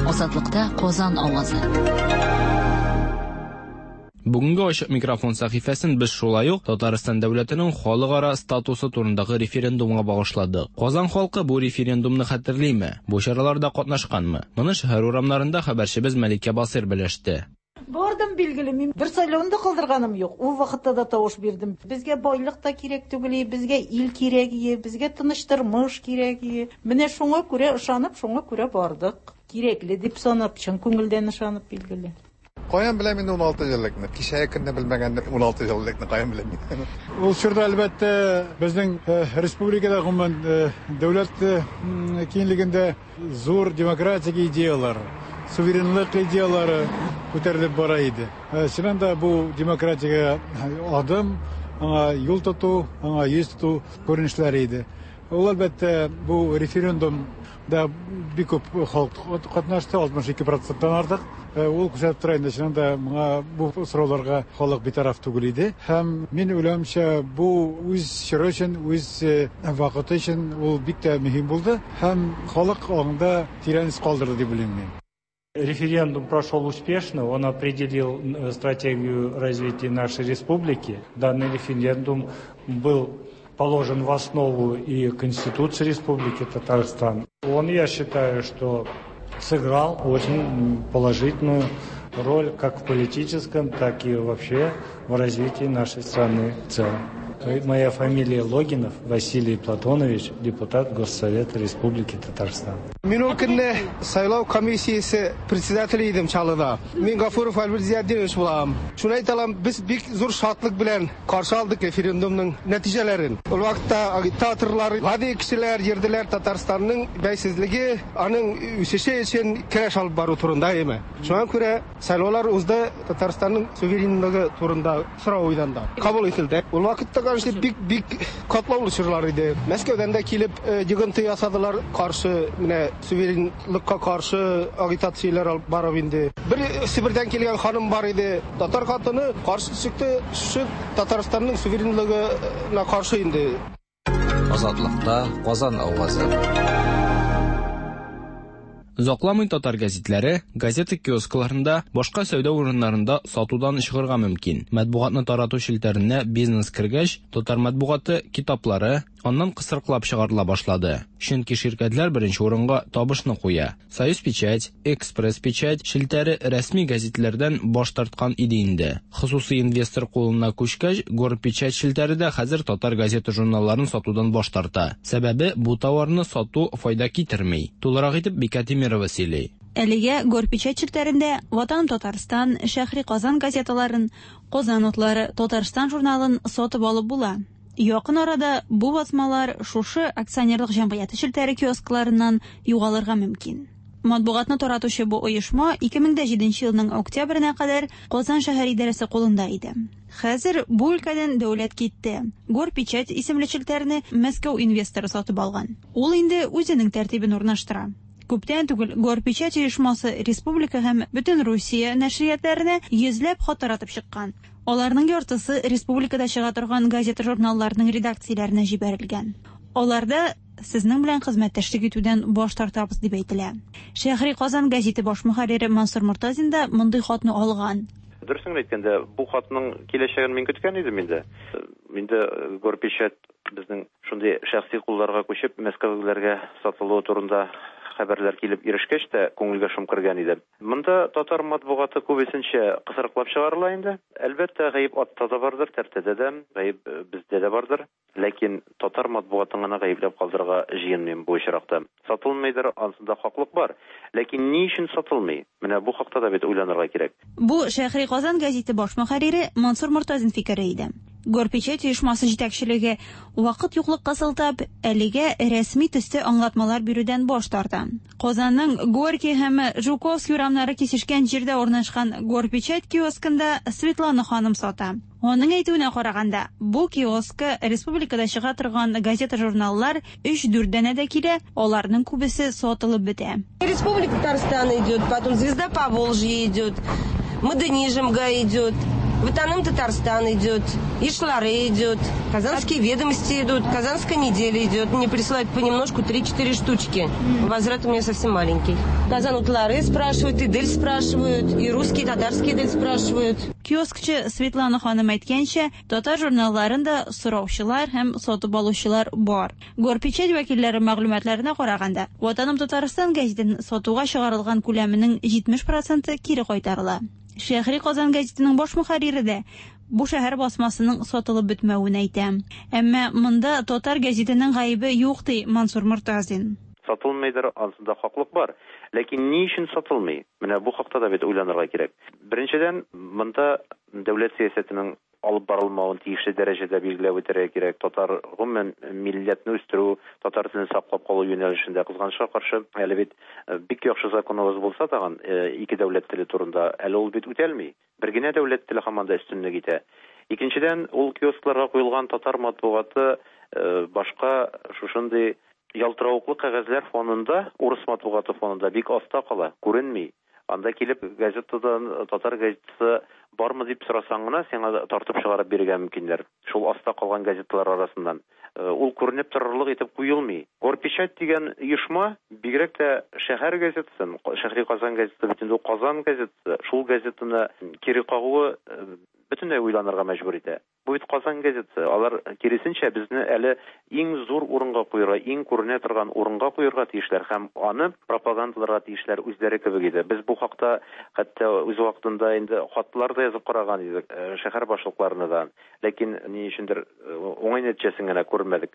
Азатлыкта Казан авазы. Бүгенге ачык микрофон сәхифәсен без шулай ук Татарстан дәүләтенең халыкара статусы турындагы референдумга багышладык. Казан халкы бу референдумны хәтерлиме? Бу чараларда катнашканмы? Моны шәһәр урамнарында хәбәрчебез Мәликә Басыр белеште. Бардым, билгеле, мин бер сайлауны да калдырганым юк. Ул вакытта да тавыш бирдем. Безгә байлык та кирәк түгел, безгә ил кирәк, безгә тыныч тормыш кирәк. Менә шуңа күрә ышанып, шуңа күрә бардык. Кирәкле дип санап, чын күңелдән ышанып, билгеле. Каян беләм инде ун алты еллыкны? Кичәге көнне белмәгәнне ун алты еллыкны каян беләм мин? Ул чорда әлбәттә безнең республикада гомумән дәүләт киңлегендә зур демократик идеялар, суверенлык идеялары күтәрелеп бара иде. Чыннан да бу демократика адым, аңа юл тоту, аңа йөз тоту күренешләре иде. Ул, әлбәттә, бу референдумда бик күп халык катнашты, алтмыш ике проценттан артык. Ул күрсәтеп тора инде, чыннан да моңа бу сорауларга халык битараф түгел иде. Һәм мин уйлавымча, бу үз чоры өчен, үз вакыты өчен ул бик тә мөһим булды һәм халык аңында тирән эз калдырды дип уйлыйм мин. Референдум прошел успешно, он определил стратегию развития нашей республики. Данный референдум был положен в основу и Конституции Республики Татарстан. Он, я считаю, что сыграл очень положительную роль как в политическом, так и вообще в развитии нашей страны в целом. Моя фамилия Логинов Василий Платонович, депутат Госсовета Республики Татарстан. Мин ул көнне сайлау комиссиясе председателе идем Чаллыда. Мин Гафуров Альберт Зиятдинович булам. Шуны әйтә алам, без бик зур шатлык белән каршы алдык референдумның нәтиҗәләрен. Ул вакытта агитаторлар, гади кешеләр йөрделәр Татарстанның бәйсезлеге, аның үсеше өчен көрәш алып бару турында әйме. Шуңа күрә сайлаулар узды, Татарстанның суверенлыгы турында сорау уйданды. Кабул ителде. Ул вакытта Бик, бик катлаулы чорлар иде. Мәскәүдән дә килеп йогынты ясадылар, каршы менә суверенлыкка каршы агитацияләр алып барып инде. Бер Себердән килгән ханым бар иде. Татар хатыны каршы чыкты, шушы Татарстанның суверенлыгына каршы инде. Азатлыкта Казан авазы. Озакламый татар гәзитләре газета киоскларында, башка сәүдә урыннарында сатудан чыгарга мөмкин. Матбугатны тарату челтәренә бизнес кергәч, татар матбугаты китаплары аннан кысрыклап чыгарыла башлады. Чөнки ширкәтләр беренче урынга табышны куя. Союз печать, Экспресс печать челтәре рәсми гәзитләрдән баш тарткан иде инде. Хосусый инвестор кулына күчкәч, Горпечать челтәре дә хәзер татар газета журналларын сатудан баш тарта. Сәбәбе бу товарны сату файда китерми. Тулырак итеп Бикә Тимирова сөйли. Әлегә Горпечать челтәрендә Ватан Татарстан, Шәһри Казан газеталарын, Казан утлары, Татарстан журналын сатып алып була. Якын арада бу басмалар шушы акционерлык җәмгыяте челтәре киоскларыннан югалырга мөмкин. Матбугатны таратучы бу оешма ике мең җиденче елның октябренә кадәр Казан шәһәр идарәсе кулында иде. Хәзер бу өлкәдән дәүләт китте. Горпечать исемле челтәрне Мәскәү инвесторы сатып алган. Ул инде үзенең тәртибен урнаштыра. Күптән түгел Горпечать оешмасы республика һәм бөтен Русия нәшриятләренә йөзләп хат таратып чыккан. Аларның яртысы республикада чыга торган газета-журналларның редакцияләренә җибәрелгән. Аларда сезнең белән хезмәттәшлек итүдән баш тартабыз дип әйтелә. Шәһри Казан гәзите баш мөхәррире Мансур Мортазин да мондый хатны алган. Дөресен әйткәндә, бу хатның киләчәген мин көткән идем инде. Инде Горпечать безнең шундый шәхси кулларга күчеп, Мәскәүгә сатылуы турында хәбәрләр килеп ирешкәч тә күңелгә шом кергән иде. Монда татар матбугаты күбесенчә кысрыклап чыгарыла инде. Әлбәттә, гаеп атта да бардыр, тәртәдә дә, гаеп бездә дә бардыр. Ләкин татар матбугатын гына гаепләп калдырырга җыенмыйм бу очракта. Сатылмыйдыр, ансында хаклык бар. Ләкин ни өчен сатылмый? Менә бу хакта да бит уйланырга кирәк. Бу Шәһри Казан гәзите баш мөхәррире Мансур Мортазин фикере иде. Горпечать оешмасы җитәкчелеге вакыт юклыкка сылтап, әлегә рәсми төстә аңлатмалар бирүдән баш тарта. Казанның Горький һәм Жуковский урамнары кисешкән җирдә урнашкан Горпечать киоскында Светлана ханым сата. Аның әйтүенә караганда, бу киоска республикада чыга торган газета-журналлар өч-дүрт данә дә килә, аларның күбесе сатылып бетә. Республика Татарстан идет, потом Звезда Поволжья идет, Модернижмга идет. Ватаным Татарстан идет, Ишлары идет, Казанские ведомости идут, Казанская неделя идет. Мне присылают понемножку три-четыре штучки. Возврат у меня совсем маленький. Казан утлары спрашивают, Идель спрашивают, и русские, и татарские Идель спрашивают. Киоскчы Светлана ханым әйткәнчә, татар журналларында сораучылар һәм сатып алучылар бар. Горпечать вәкилләре мәгълүматларына караганда, Ватаным Татарстан гәзитен сатуга чыгарылган күләменең җитмеш проценты кире кайтарыла. Шәһри Казан гәзитенең баш мөхәррире дә бу шәһәр басмасының сатылып бетмәвен әйтә. Әмма монда татар гәзитенең гаебе юк, ди Мансур Мортазин. Сатылмыйдыр, ансында хаклык бар. Ләкин ни өчен сатылмый? Менә бу хакта да бит уйланырга кирәк. Беренчедән, монда дәүләт сәясәтенең алып барылмавын тиешле дәрәҗәдә билгеләп үтәргә кирәк. Татар гомумән милләтне үстерү, татар телен саклап калу юнәлешендә кызганычка каршы әле бит бик яхшы законыбыз булса тагын ике дәүләт теле турында әле ул бит үтәлми. Бер генә дәүләт теле һаман да өстенлек итә. Икенчедән, ул киоскларга куелган татар матбугаты Башка шушындый ялтыравыклы кәгазьләр фонында, урыс матбугаты фонында бик аста кала, күренми. Анда килеп газетадан татар газетасы бармы дип сорасаң гына сиңа тартып чыгарып бирергә мөмкиннәр. Шул аста калган газеталар арасыннан. Ул күренеп торырлык итеп куелмый. Горпечать дигән оешма бигрәк тә шәһәр газетасын, Шәһри Казан газетасы, бөтен ул Казан газетасы, шул газетаны кире кагуы бөтенләй уйланырга мәҗбүр итә. Бу бит Казан газетасы. Алар киресенчә безне әле иң зур урынга куярга, иң күренә торган урынга куярга тиешләр һәм аны пропагандаларга тиешләр үзләре кебек иде. Без бу хакта хәтта үз вакытында инде хатлар да язып караган идек шәһәр башлыкларына да. Ләкин ни өчендер уңай нәтиҗәсен генә күрмәдек.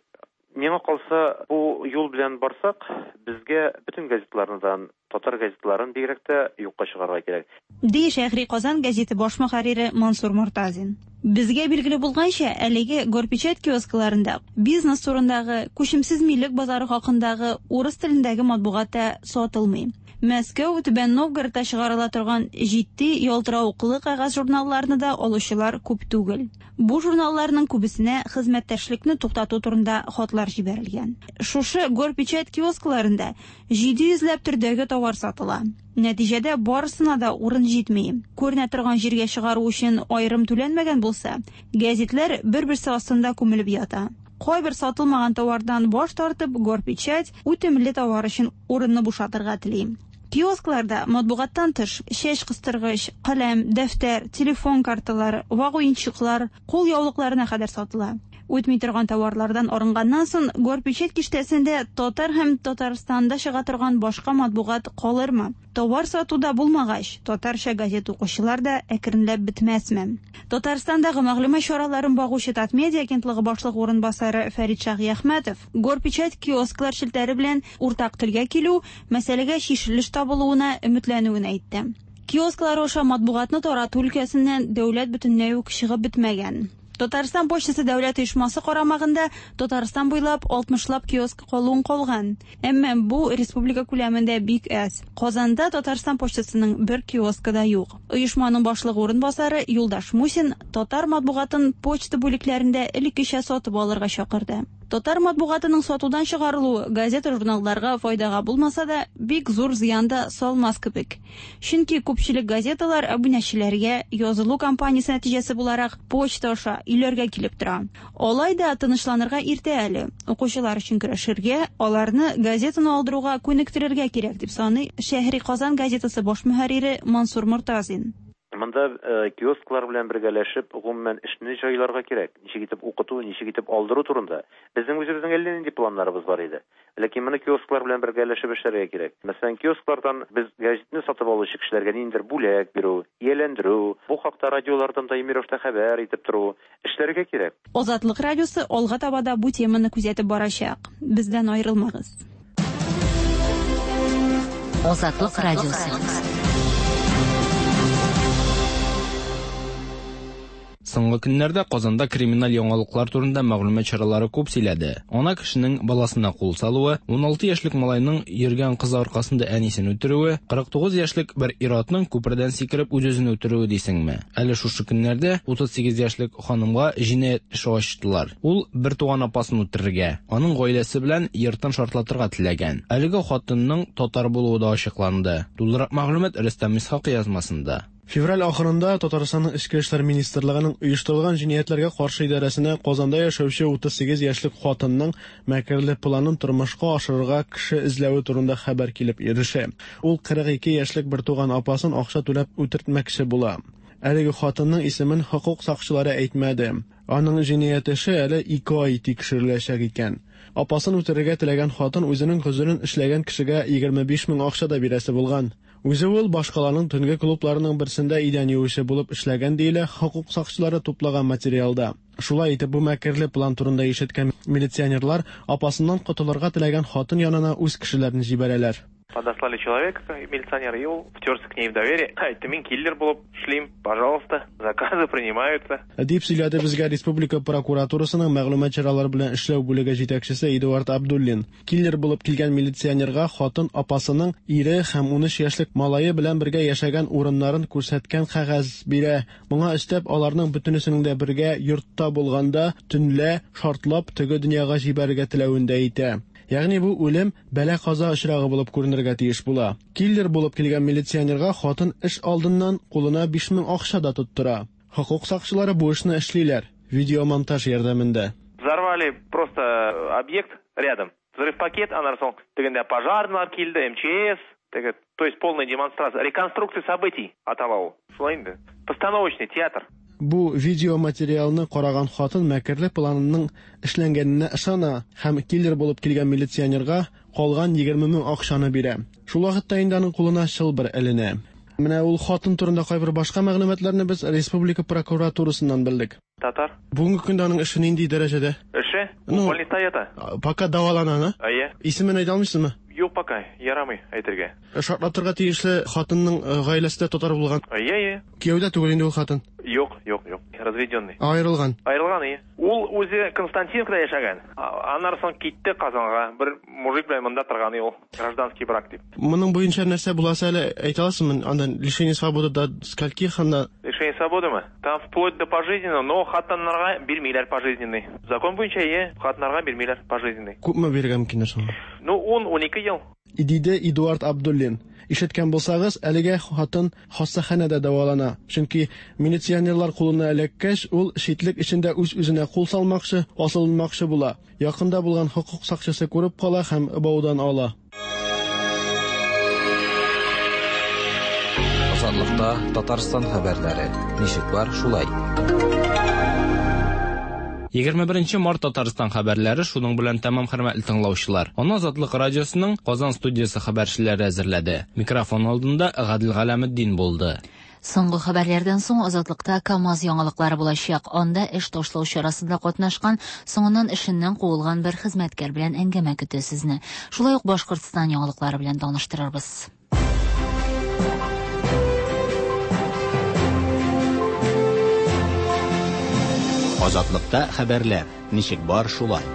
Миңа калса, бу юл белән барсак, безгә бөтен газетларны, татар газетларын бигрәк тә юкка чыгарырга кирәк. Ди Шәһри Казан газеты баш мөхәррире Мансур Мортазин. Безгә билгеле булганча, әлеге Горпечать киоскларында бизнес турындагы, күчемсез милек базары хакындагы урыс телендәге матбугат та сатылмый. Мәскәү, Түбән Новгородта чыгарыла торган җитди ялтыравыклы кәгазь журналларны да алучылар күп түгел. Бу журналларның күбесенә хезмәттәшлекне туктату турында хатлар җибәрелгән. Шушы Горпечать киоскларында җиде йөзләп төрдәге товар сатыла. Нәтиҗәдә барысына да урын җитми. Күренә торган җиргә чыгару өчен аерым түләнмәгән булса, гәзитләр бер-берсе астында күмелеп ята. Кайбер сатылмаган товардан баш тартып, Горпечать үтемле товар өчен урынны бушатырга тели. Киоскларда матбугаттан тыш чәч кыстыргыч, каләм, дәфтәр, телефон карталары, вак уенчыклар, кул яулыкларына кадәр сатыла. Үтми торган товарлардан арынганнан соң Горпечать киштәсендә татар һәм Татарстанда чыга торган башка матбугат калырмы? Товар сатуда булмагач, татарча газет укучылар да әкренләп бетмәсме? Татарстандагы мәгълүмат чараларын багучы Татмедиа агентлыгы башлыгы урынбасары Фәрит Шаһиәхмәтов Горпечать киосклар челтәре белән уртак телгә килү мәсьәләгә чишелеш табылуына өметләнүен әйтте. Киосклар аша матбугатны тарату өлкәсеннән дәүләт бөтенләй үк чыгып бетмәгән. Татарстан почтасы дәүләт оешмасы карамагында Татарстан буйлап алтмышлап киоск калуын калган. Әмма бу республика күләмендә бик әз. Казанда Татарстан почтасының бер киоскы да юк. Оешманың башлыгы урынбасары Юлдаш Мусин татар матбугатын почта бүлекләрендә элеккечә сатып алырга чакырды. Татар матбугатының сатудан чыгарылуы газета-журналларга файдага булмаса да, бик зур зыян да салмас кебек. Чөнки күпчелек газеталар абунәчеләргә язылу кампаниясе нәтиҗәсе буларак почта аша өйләргә килеп тора. Алай да тынычланырга иртә әле. Укучылар өчен көрәшергә, аларны газетаны алдыруга күнектерергә кирәк дип саный Шәһри Казан газетасы баш мөхәррире Мансур Мортазин. Монда киосклар белән бергәләшеп, гомумән эшне җайларга кирәк. Ничек итеп укыту, ничек итеп алдыру турында. Безнең үзебезнең әллә нинди планнарыбыз бар иде. Ләкин моны киосклар белән бергәләшеп эшләргә кирәк. Мәсәлән, киосклардан без газетны сатып алучы кешеләргә ниндидер бүләк бирү, ияләндерү, бу хакта радиолардан даими рәвештә хәбәр итеп тору эшләргә кирәк. Азатлык радиосы алга таба да бу теманы күзәтеп барачак. Бездән аерылмагыз. Азатлык радиосы. Соңгы көннәрдә Казанда криминаль яңалыклар турында мәгълүмат чаралары күп сөйләде. Ана кешенең баласына кул салуы, ун алты яшьлек малайның йөргән кыз аркасында әнисен үтерүе, кырык тугыз яшьлек бер ир-атның күпердән сикереп үз-үзен үтерүе дисеңме? Әле шушы көннәрдә утыз сигез яшьлек ханымга җинаять эше ачтылар. Ул бер туган апасын үтерергә, аның гаиләсе белән йортын шартлатырга теләгән. Әлеге хатынның татар булуы да ачыкланды. Тулырак мәгълүмат Рөстәм Исхак язмасында. Февраль ахырында Татарстанның Эчке эшләр министрлыгының оештырылган җинаятьләргә каршы идарәсенә Казанда яшәүче утыз сигез яшьлек хатынның мәкерле планын тормышка ашырырга кеше эзләве турында хәбәр килеп ирешә. Ул кырык ике яшьлек бер туган апасын акча түләп үтертмәкче була. Әлеге хатынның исемен хокук сакчылары әйтмәде. Аның җинаять эше әле ике ай тикшереләчәк икән. Апасын үтерергә теләгән хатын үзенең гозерен эшләгән кешегә егерме биш мең акча да бирәсе булган. Үзе ул башкаланың төнге клубларының берсендә идән юучы булып эшләгән диелә хокук сакчылары туплаган материалда. Шулай итеп, бу мәкерле план турында ишеткән милиционерлар апасыннан котылырга теләгән хатын янына үз кешеләрен җибәрәләр. Подослали человека, милиционера, и ул втерся к ней в доверие. Әйтте, мин киллер булып эшлим, пожалуйста, заказы принимаются. Дип сөйләде безгә республика прокуратурасының мәгълүмат чаралары белән эшләү бүлеге җитәкчесе Эдуард Абдуллин. Киллер булып килгән милиционерга хатын апасының ире һәм унөч яшьлек малае белән бергә яшәгән урыннарын күрсәткән кәгазь бирә. Моңа өстәп, аларның бөтенесенең дә бергә йортта булганда төнлә шартлап теге дөньяга җибәрергә теләвен дә әйтә. Ягъни бу үлем бәла-каза очрагы булып күренергә тиеш була. Киллер булып килгән милиционерга хатын эш алдыннан кулына биш мең акча да тоттыра. Хокук сакчылары бу эшне эшлиләр видеомонтаж ярдәмендә. Взорвали просто объект рядом. Взрыв пакет, аннан соң тегендә пожарныйлар килде, эм че эс, теге, то есть полная демонстрация, реконструкция событий атала ул. Шулай инде. Постановочный театр. Бу видеоматериалны караган хатын мәкерле планының эшләнгәненә ышана һәм киллер булып килгән милиционерга калган егерме мең акчаны бирә. Шул вакытта инде аның кулына чылбыр эленә. Менә ул хатын турында кайбер башка мәгълүматларны без республика прокуратурасыннан белдек. Татар. Бүгенге көндә аның эше нинди дәрәҗәдә? Эше? Ну, больниста ята. Пока дәвалана, на? Әйе. Исемен әйтә алмыйсызмы? Юк, пока ярамый әйтергә. Шартлатырга тиешле хатынның гаиләсе дә татар булган. Әйе, әйе. Кияүдә түгел инде ул хатын. Юк, юк, юк. Разведенный. Аерылган. Аерылган, әйе. Ул үзе Константиновкада яшәгән. Аннан соң китте Казанга. Бер мужик белән монда торган ул. Гражданский брак дип. Моның буенча нәрсә буласы әле әйтә аласызмы? Андан лишение свободы до скольких анда? Лишение свободымы? Там вплоть до пожизненного, но хатыннарга бирмиләр пожизненный. Закон буенча, әйе, хатыннарга бирмиләр пожизненный. Күпме бирергә мөмкиннәр соң? Ну, ун-унике ел. Диде Эдуард Абдуллин. Ишеткән булсагыз, әлегә хатын хастаханәдә дәвалана. Чөнки милиционерлар кулына эләккәч, ул читлек эчендә үз-үзенә кул салмакчы, асылынмакчы була. Якында булган хокук сакчысы күреп кала һәм баудан ала. Азатлыкта Татарстан хәбәрләре. Ничек бар, шулай. Егерме беренче март Татарстан хәбәрләре шуның белән тәмам, хөрмәтле тыңлаучылар. Аны Азатлык радиосының Казан студиясе хәбәрчеләре әзерләде. Микрофон алдында Гадел Галәметдин булды. Соңгы хәбәрләрдән соң Азатлыкта КАМАЗ яңалыклары булачак. Анда эш ташлау чарасында катнашкан, соңыннан эшеннән куылган бер хезмәткәр белән әңгәмә көтә сезне. Шулай ук Башкортстан яңалыклары белән таныштырырбыз. Азатлыкта хәбәрләр ничек бар, шулай.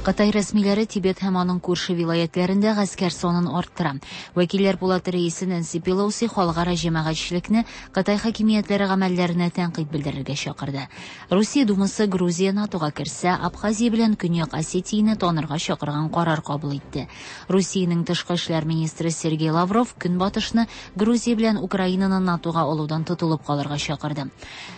Кытай рәсмиләре Тибет һәм аның күрше вилаятләрендә гаскәр санын арттыра. Вәкилләр палаты рәисе Нэнси Пелоси халыкара җәмәгатьчелекне Кытай хакимиятләре гамәлләренә тәнкыйть белдерергә чакырды. Русия Думасы Грузия НАТОга керсә, Абхазия белән Көньяк Осетияне танырга чакырган карар кабул итте. Русиянең тышкы эшләр министры Сергей Лавров Көнбатышны Грузия белән Украинаны НАТОга алудан тотылып калырга чакырды.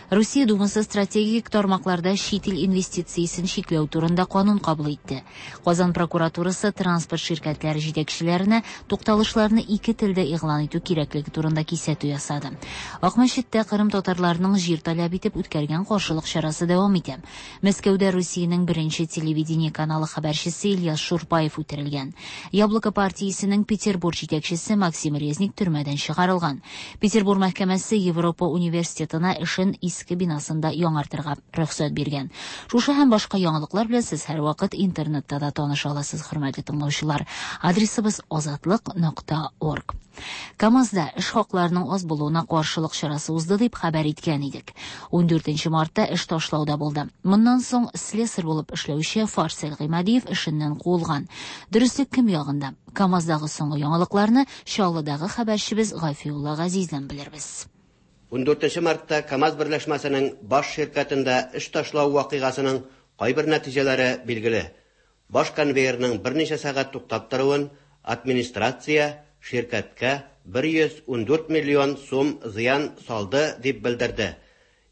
Русия Думасы стратегик тармакларда чит ил инвестициясен чикләү турында канун кабул итте. Казан прокуратурасы транспорт ширкәтләре җитәкчеләренә тукталышларны ике телдә игълан итү кирәклеге турында кисәтү ясады. Акмәчеттә Кырым татарларының җир таләп итеп үткәргән каршылык чарасы дәвам итә. Мәскәүдә Русиянең беренче телевидение каналы хәбәрчесе Ильяс Шурпаев үтерелгән. Яблоко партиясенең Петербург җитәкчесе Максим Резник төрмәдән чыгарылган. Петербург мәхкәмәсе Европа университетына эшен иске бинасында яңартырга рөхсәт биргән. Шушы һәм башка яңалыклар белән сез һәрвакыт интернетта да таныша аласыз, хөрмәтле тыңлаучылар. Адресыбыз азатлык нокта орг. КАМАЗда эш хакларының аз булуына каршылык чарасы узды дип хәбәр иткән идек. Ундүртенче мартта эш ташлауда булды. Моннан соң слесарь булып эшләүче Фарсел Гыймадиев эшеннән куылган. Дөреслек кем ягында? КАМАЗдагы соңгы яңалыкларны Чаллыдагы хәбәрчебез Гафиулла Газиздән белербез. Ундүртенче мартта КАМАЗ берләшмәсенең баш ширкәтендә эш ташлау вакыйгасының кайбер нәтиҗәләре билгеле. Баш конвейерның берничә сәгать туктап торуын администрация ширкәткә бер йөз ундүрт миллион сум зыян салды дип белдерде.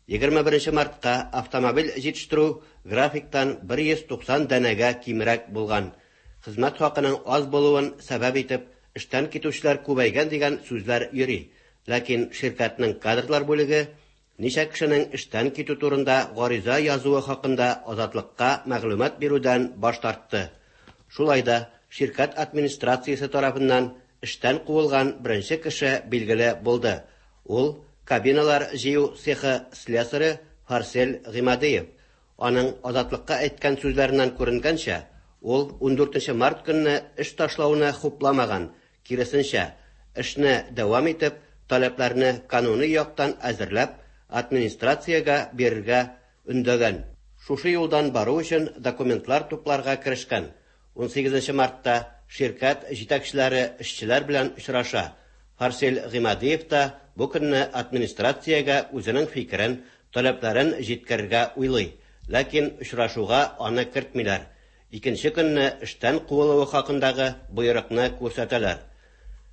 Егерме беренче мартка автомобиль җитештерү графиктан бер йөз туксан данәгә кимрәк булган. Хезмәт хакының аз булуын сәбәп итеп эштән китүчеләр күбәйгән дигән сүзләр йөри. Ләкин ширкәтнең кадрлар бүлеге ничә кешенең эштән китү турында гариза язуы хакында Азатлыкка мәгълүмат бирүдән баш тартты. Шулай да ширкәт администрациясе тарафыннан эштән куылган беренче кеше билгеле булды. Ул кабиналар җыю цехы слесаре Фарсел Гыймадиев. Аның Азатлыкка әйткән сүзләреннән күренгәнчә, Ул ундүртенче март көнне эш ташлауны хупламаган, киресенчә, эшне дәвам итеп, таләпләрне кануни яктан әзерләп, администрациягә бирергә өндәгән. Шушы юлдан бару өчен документлар тупларга керешкән. Унсигезенче мартта ширкәт җитәкчеләре эшчеләр белән очраша. Фарсил Гыймадиев та бу көнне администрациягә үзенең фикерен, таләпләрен җиткерергә уйлый. Ләкин очрашуга аны кертмиләр. Икенче көнне эштән куылуы хакындагы боерыкны күрсәтәләр.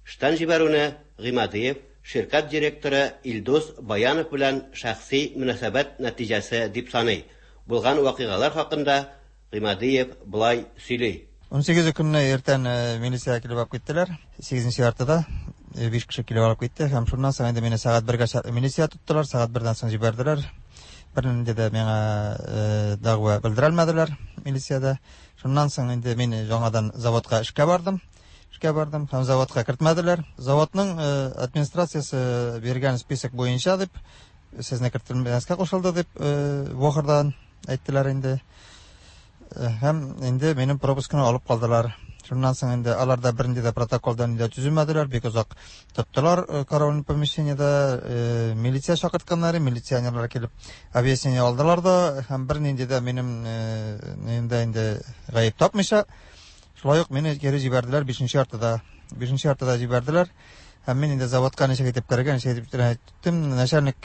Эштән җибәрүне Гыймадиев ширкәт директоры Илдус Баянов белән шәхси мөнәсәбәт нәтиҗәсе дип саный. Булган вакыйгалар хакында Гыймадиев болай сөйли. Унсигезе көнне иртән милиция килеп алып киттеләр. Сигезенче яртыда биш кеше килеп алып китте һәм шуннан соң инде мине сәгать бергә милиция тоттылар, сәгать бердән соң җибәрделәр. Бернинди дә миңа дәгъва белдерә алмадылар милициядә. Шуннан соң инде мин яңадан заводка эшкә бардым. Эшкә бардым һәм заводка кертмәделәр. Заводның администрациясе биргән список буенча дип, сезне кертелмәскә кушылды дип, Вохырдан әйттеләр инде. Һәм инде минем пропускны алып калдылар. Шуннан соң инде алар да бернинди дә протоколдан инде төземәделәр, бик озак тоттылар караульный помещениедә, милиция чакыртканнар, милиционерлар килеп объяснение алдылар да, һәм бернинди дә минем инде инде гаеп тапмыйча, шулай ук мине кире җибәрделәр бишенче яртыда. Бишенче яртыда җибәрделәр. Һәм мин инде заводка ничек итеп керергә, ничек итеп әйттем, начальник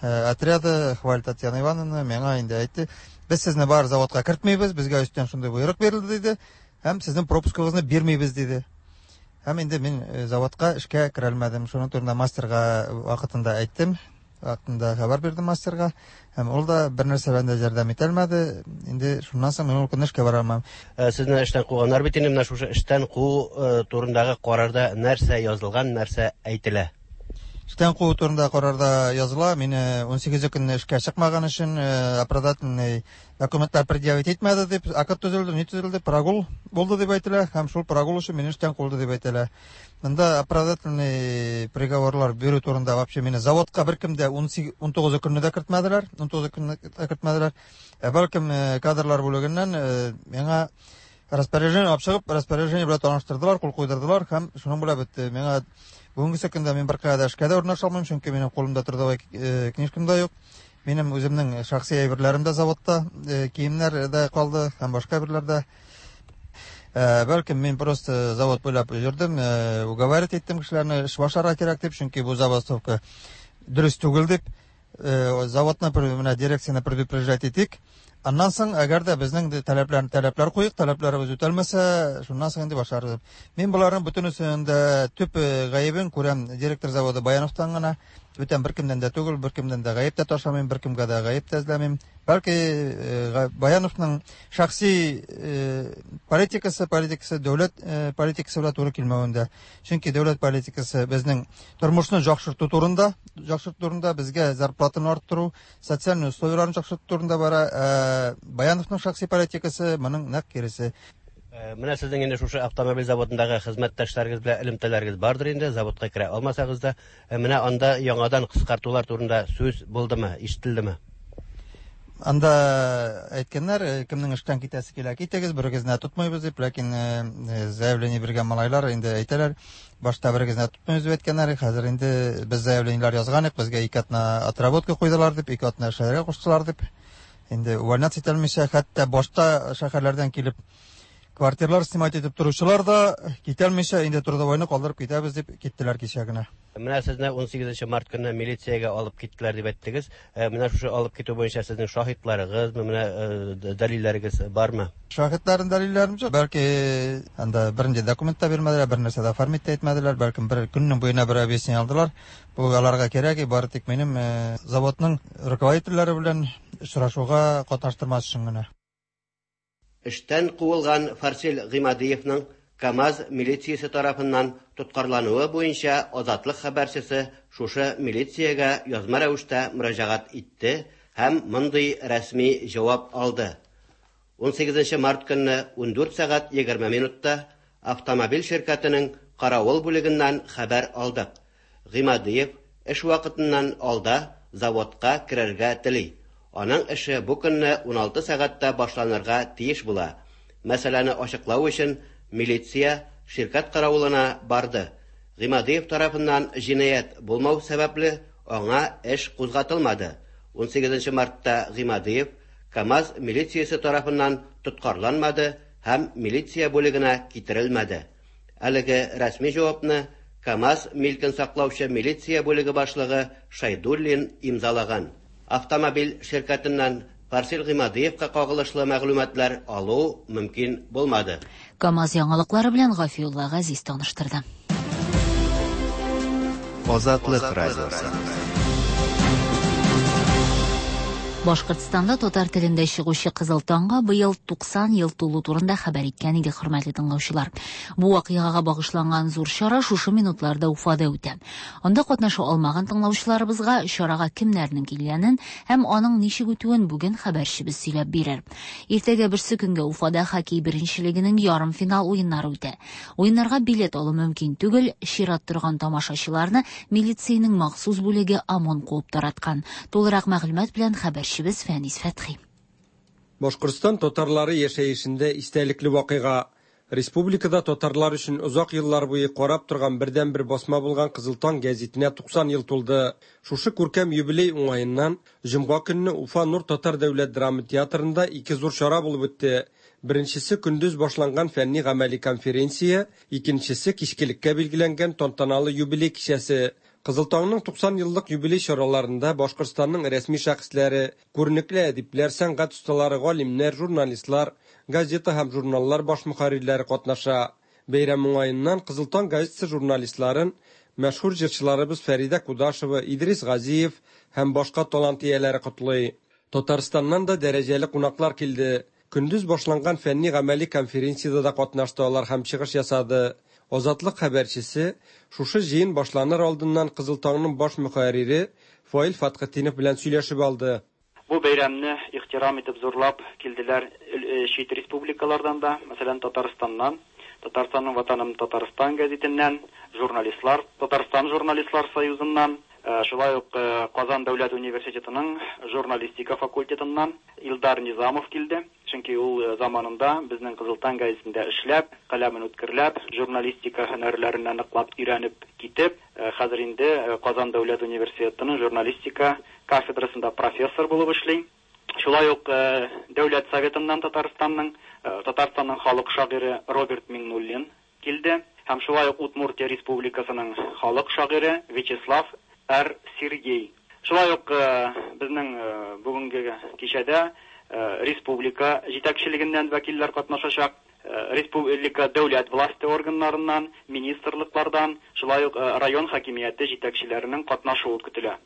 отряда Хваль Татьяна Ивановна миңа инде әйтте, без сезне бар заводка кертмибез, безгә өстән шундый боерык бирелде диде, һәм сезнең пропускыгызны бирмибез диде. Һәм инде мин заводка эшкә керә алмадым. Шуның турында мастерга вакытында әйттем, вакытында хәбәр бирдем мастерга, һәм ул да бер нәрсә белән дә ярдәм итә алмады. Инде шуннан соң мин ул көнне эшкә бара алмам. Сезне эштән куганнар бит инде, менә шушы эштән куу турындагы карарда нәрсә язылган, нәрсә әйтелә? Эштән куу турында карарда языла, мине унсигезе көнне эшкә чыкмаган өчен оправдательный документлар предъявить итмәде дип, акт төзелде, ни төзелде, прогул булды дип әйтелә, һәм шул прогул өчен мине эштән куылды дип әйтелә. Монда оправдательный приговорлар бирү турында вообще мине заводка беркем дә унтугызы көнне дә кертмәделәр, унтугызы көнне дә кертмәделәр. Ә бәлкем кадрлар бүлегеннән миңа распоряжение алып чыгып, распоряжение белән таныштырдылар, кул куйдырдылар һәм шуның белән бетте. Миңа бүгенге көндә мин беркая да эшкә дә урнаша алмыйм, чөнки минем кулымда трудовой книжкам да юк. Минем үземнең шәхси әйберләрем дә заводта, киемнәр дә калды һәм башка әйберләр дә. Бәлкем мин просто завод буйлап йөрдем, уговаривать иттем кешеләрне, эш башларга кирәк дип, чөнки бу забастовка дөрес түгел дип, заводны менә дирекцияне предупреждать итик. Аннан соң, әгәр дә безнең таләпләрне таләпләр куйык, таләпләребез үтәлмәсә, шуннан соң инде башларбыз. Мин боларның бөтенесен дә төп гаебен күрәм директор заводы Баяновтан гына. Бүтән беркемнән дә түгел, беркемнән дә гаеп тә ташламыйм, беркемгә дә гаеп тә эзләмим. Бәлки Баяновның шәхси политикасы, политикасы дәүләт политикасы белән туры килмәвендә. Чөнки дәүләт политикасы безнең тормышны яхшырту турында, яхшырту турында, безгә зарплатаны арттыру, социаль условияләрне яхшырту турында бара. Баяновның шәхси политикасы моның нәкъ киресе. Менә сезнең инде шушы автомобиль заводындагы хезмәттәшләрегез белән элемтәләрегез бардыр инде, заводка керә алмасагыз да, менә анда яңадан кыскартулар турында сүз булдымы, ишетелдеме? Анда әйткәннәр, кемнең эштән китәсе килә, китегез, берегезне тотмыйбыз дип, ләкин заявление биргән малайлар инде әйтәләр, башта берегезне тотмыйбыз дип әйткәннәр, хәзер инде без заявлениеләр язган идек, безгә ике атна отработка куйдылар дип, ике атна эшләргә куштылар дип. Инде увольняться ителмичә, хәтта башта шәһәрләрдән килеп квартиралар снимать итеп торучылар да китәлмичә, инде трудовойны калдырып китәбез дип киттеләр кичә генә. Менә сезне унсигезенче март көнне милициягә алып киттеләр дип әйттегез. Менә шушы алып китү буенча сезнең шаһитларыгыз, менә дәлилләрегез бармы? Шаһитларның дәлилләрем юк. Бәлки анда бернинди документ та бирмәделәр, бер нәрсә дә оформить тә итмәделәр, бәлкем бер көннең буена бер объяснение алдылар. Бу аларга кирәк, бары тик минем заводның руководительләре белән очрашуга катнаштырмас өчен генә. Эштән куылган Фарсил Гыймадиевның КАМАЗ милициясе тарафыннан тоткарлануы буенча Азатлык хәбәрчесе шушы милициягә язма рәвештә мөрәҗәгать итте һәм мондый рәсми җавап алды. Унсигезенче март көнне ундүрт сәгать егерме минутта автомобиль ширкәтенең каравыл бүлегеннән хәбәр алдык. Гыймадиев эш вакытыннан алда заводка керергә тели. Аның эше бу көнне уналты сәгатьтә башланырга тиеш була. Мәсьәләне ачыклау өчен милиция ширкәт каравылына барды. Гыймадиев тарафыннан җинаять булмау сәбәпле аңа эш кузгатылмады. Унсигезенче мартта Гыймадиев КАМАЗ милициясе тарафыннан тоткарланмады һәм милиция бүлегенә китерелмәде. Әлеге рәсми җавапны КАМАЗ милкен саклаучы милиция бүлеге башлыгы Шайдуллин имзалаган. Автомобиль ширкәтеннән Фарсил Гыймадиевка кагылышлы мәгълүматлар алу мөмкин булмады. КАМАЗ яңалыклары белән Гафиулла Газиз таныштырды. Азатлык радиосы. Башкортстанда татар телендә чыгучы Кызыл таңга быел туксан ел тулу турында хәбәр иткән иде, хөрмәтле тыңлаучылар. Бу вакыйгага багышланган зур чара шушы минутларда Уфада үтә. Анда катнаша алмаган тыңлаучыларыбызга чарага кемнәрнең килгәнен һәм аның ничек үтүен бүген хәбәрчебез сөйләп бирер. Иртәгә берсе көнгә Уфада хоккей беренчелегенең ярымфинал уеннары үтә. Уеннарга билет алу мөмкин түгел, чират торган тамашачыларны милициянең махсус бүлеге ОМОН куып тараткан. Тулырак мәгълүмат белән хәбәрчебез Фәнис Фәтхи. Башкортстан татарлары яшәешендә истәлекле вакыйга. Республикада татарлар өчен озак еллар буе карап торган бердәнбер басма булган Кызыл таң гәзитенә туксан ел тулды. Шушы күркәм юбилей уңаеннан җомга көнне Уфа Нур татар дәүләт драма театрында ике зур чара булып үтте. Беренчесе көндез башланган фәнни гамәли конференция, икенчесе кичкелеккә билгеләнгән тантаналы юбилей кичәсе. Кызыл таңның туксан еллык юбилей чараларында Башкортстанның рәсми шәхесләре, күренекле әдипләр, сәнгать осталары, галимнәр, журналистлар, газета һәм журналлар баш мөхәррирләре катнаша. Бәйрәм уңаеннан Кызыл таң газетасы журналистларын мәшһүр җырчыларыбыз Фәридә Кудашева, Идрис Газиев һәм башка талант ияләре котлый. Татарстаннан да дәрәҗәле кунаклар килде. Көндез башланган фәнни гамәли конференциядә дә катнашты алар һәм чыгыш ясады. Азатлык хәбәрчесе шушы җыен башланыр алдыннан Кызыл таңның баш мөхәррире Фаил Фатхетдинов белән сөйләшеп алды. Бу бәйрәмне ихтирам итеп зурлап килделәр чит республикалардан да, мәсәлән Татарстаннан, Татарстанның Ватаным Татарстан гәзитеннән, журналистлар, Татарстан журналистлар союзыннан, шулай ук Казан дәүләт университетының журналистика факультетыннан Илдар Низамов килде. Чөнки ул заманында безнең Кызыл таң гәзитендә эшләп, каләмен үткерләп, журналистика һөнәрләренә ныклап өйрәнеп китеп, хәзер инде Казан дәүләт университетының журналистика кафедрасында профессор булып эшли. Шулай ук Дәүләт советыннан Татарстанның, Татарстанның халык шагыйре Роберт Миңнуллин килде һәм шулай ук Удмуртия республикасының халык шагыйре Вячеслав Р. Сергей. Шулай ук безнең бүгенге кичәдә республика җитәкчелегеннән вәкилләр катнашачак, республика дәүләт власте органнарыннан, министрлыклардан, шулай ук район хакимияте җитәкчеләренең катнашуы көтелә.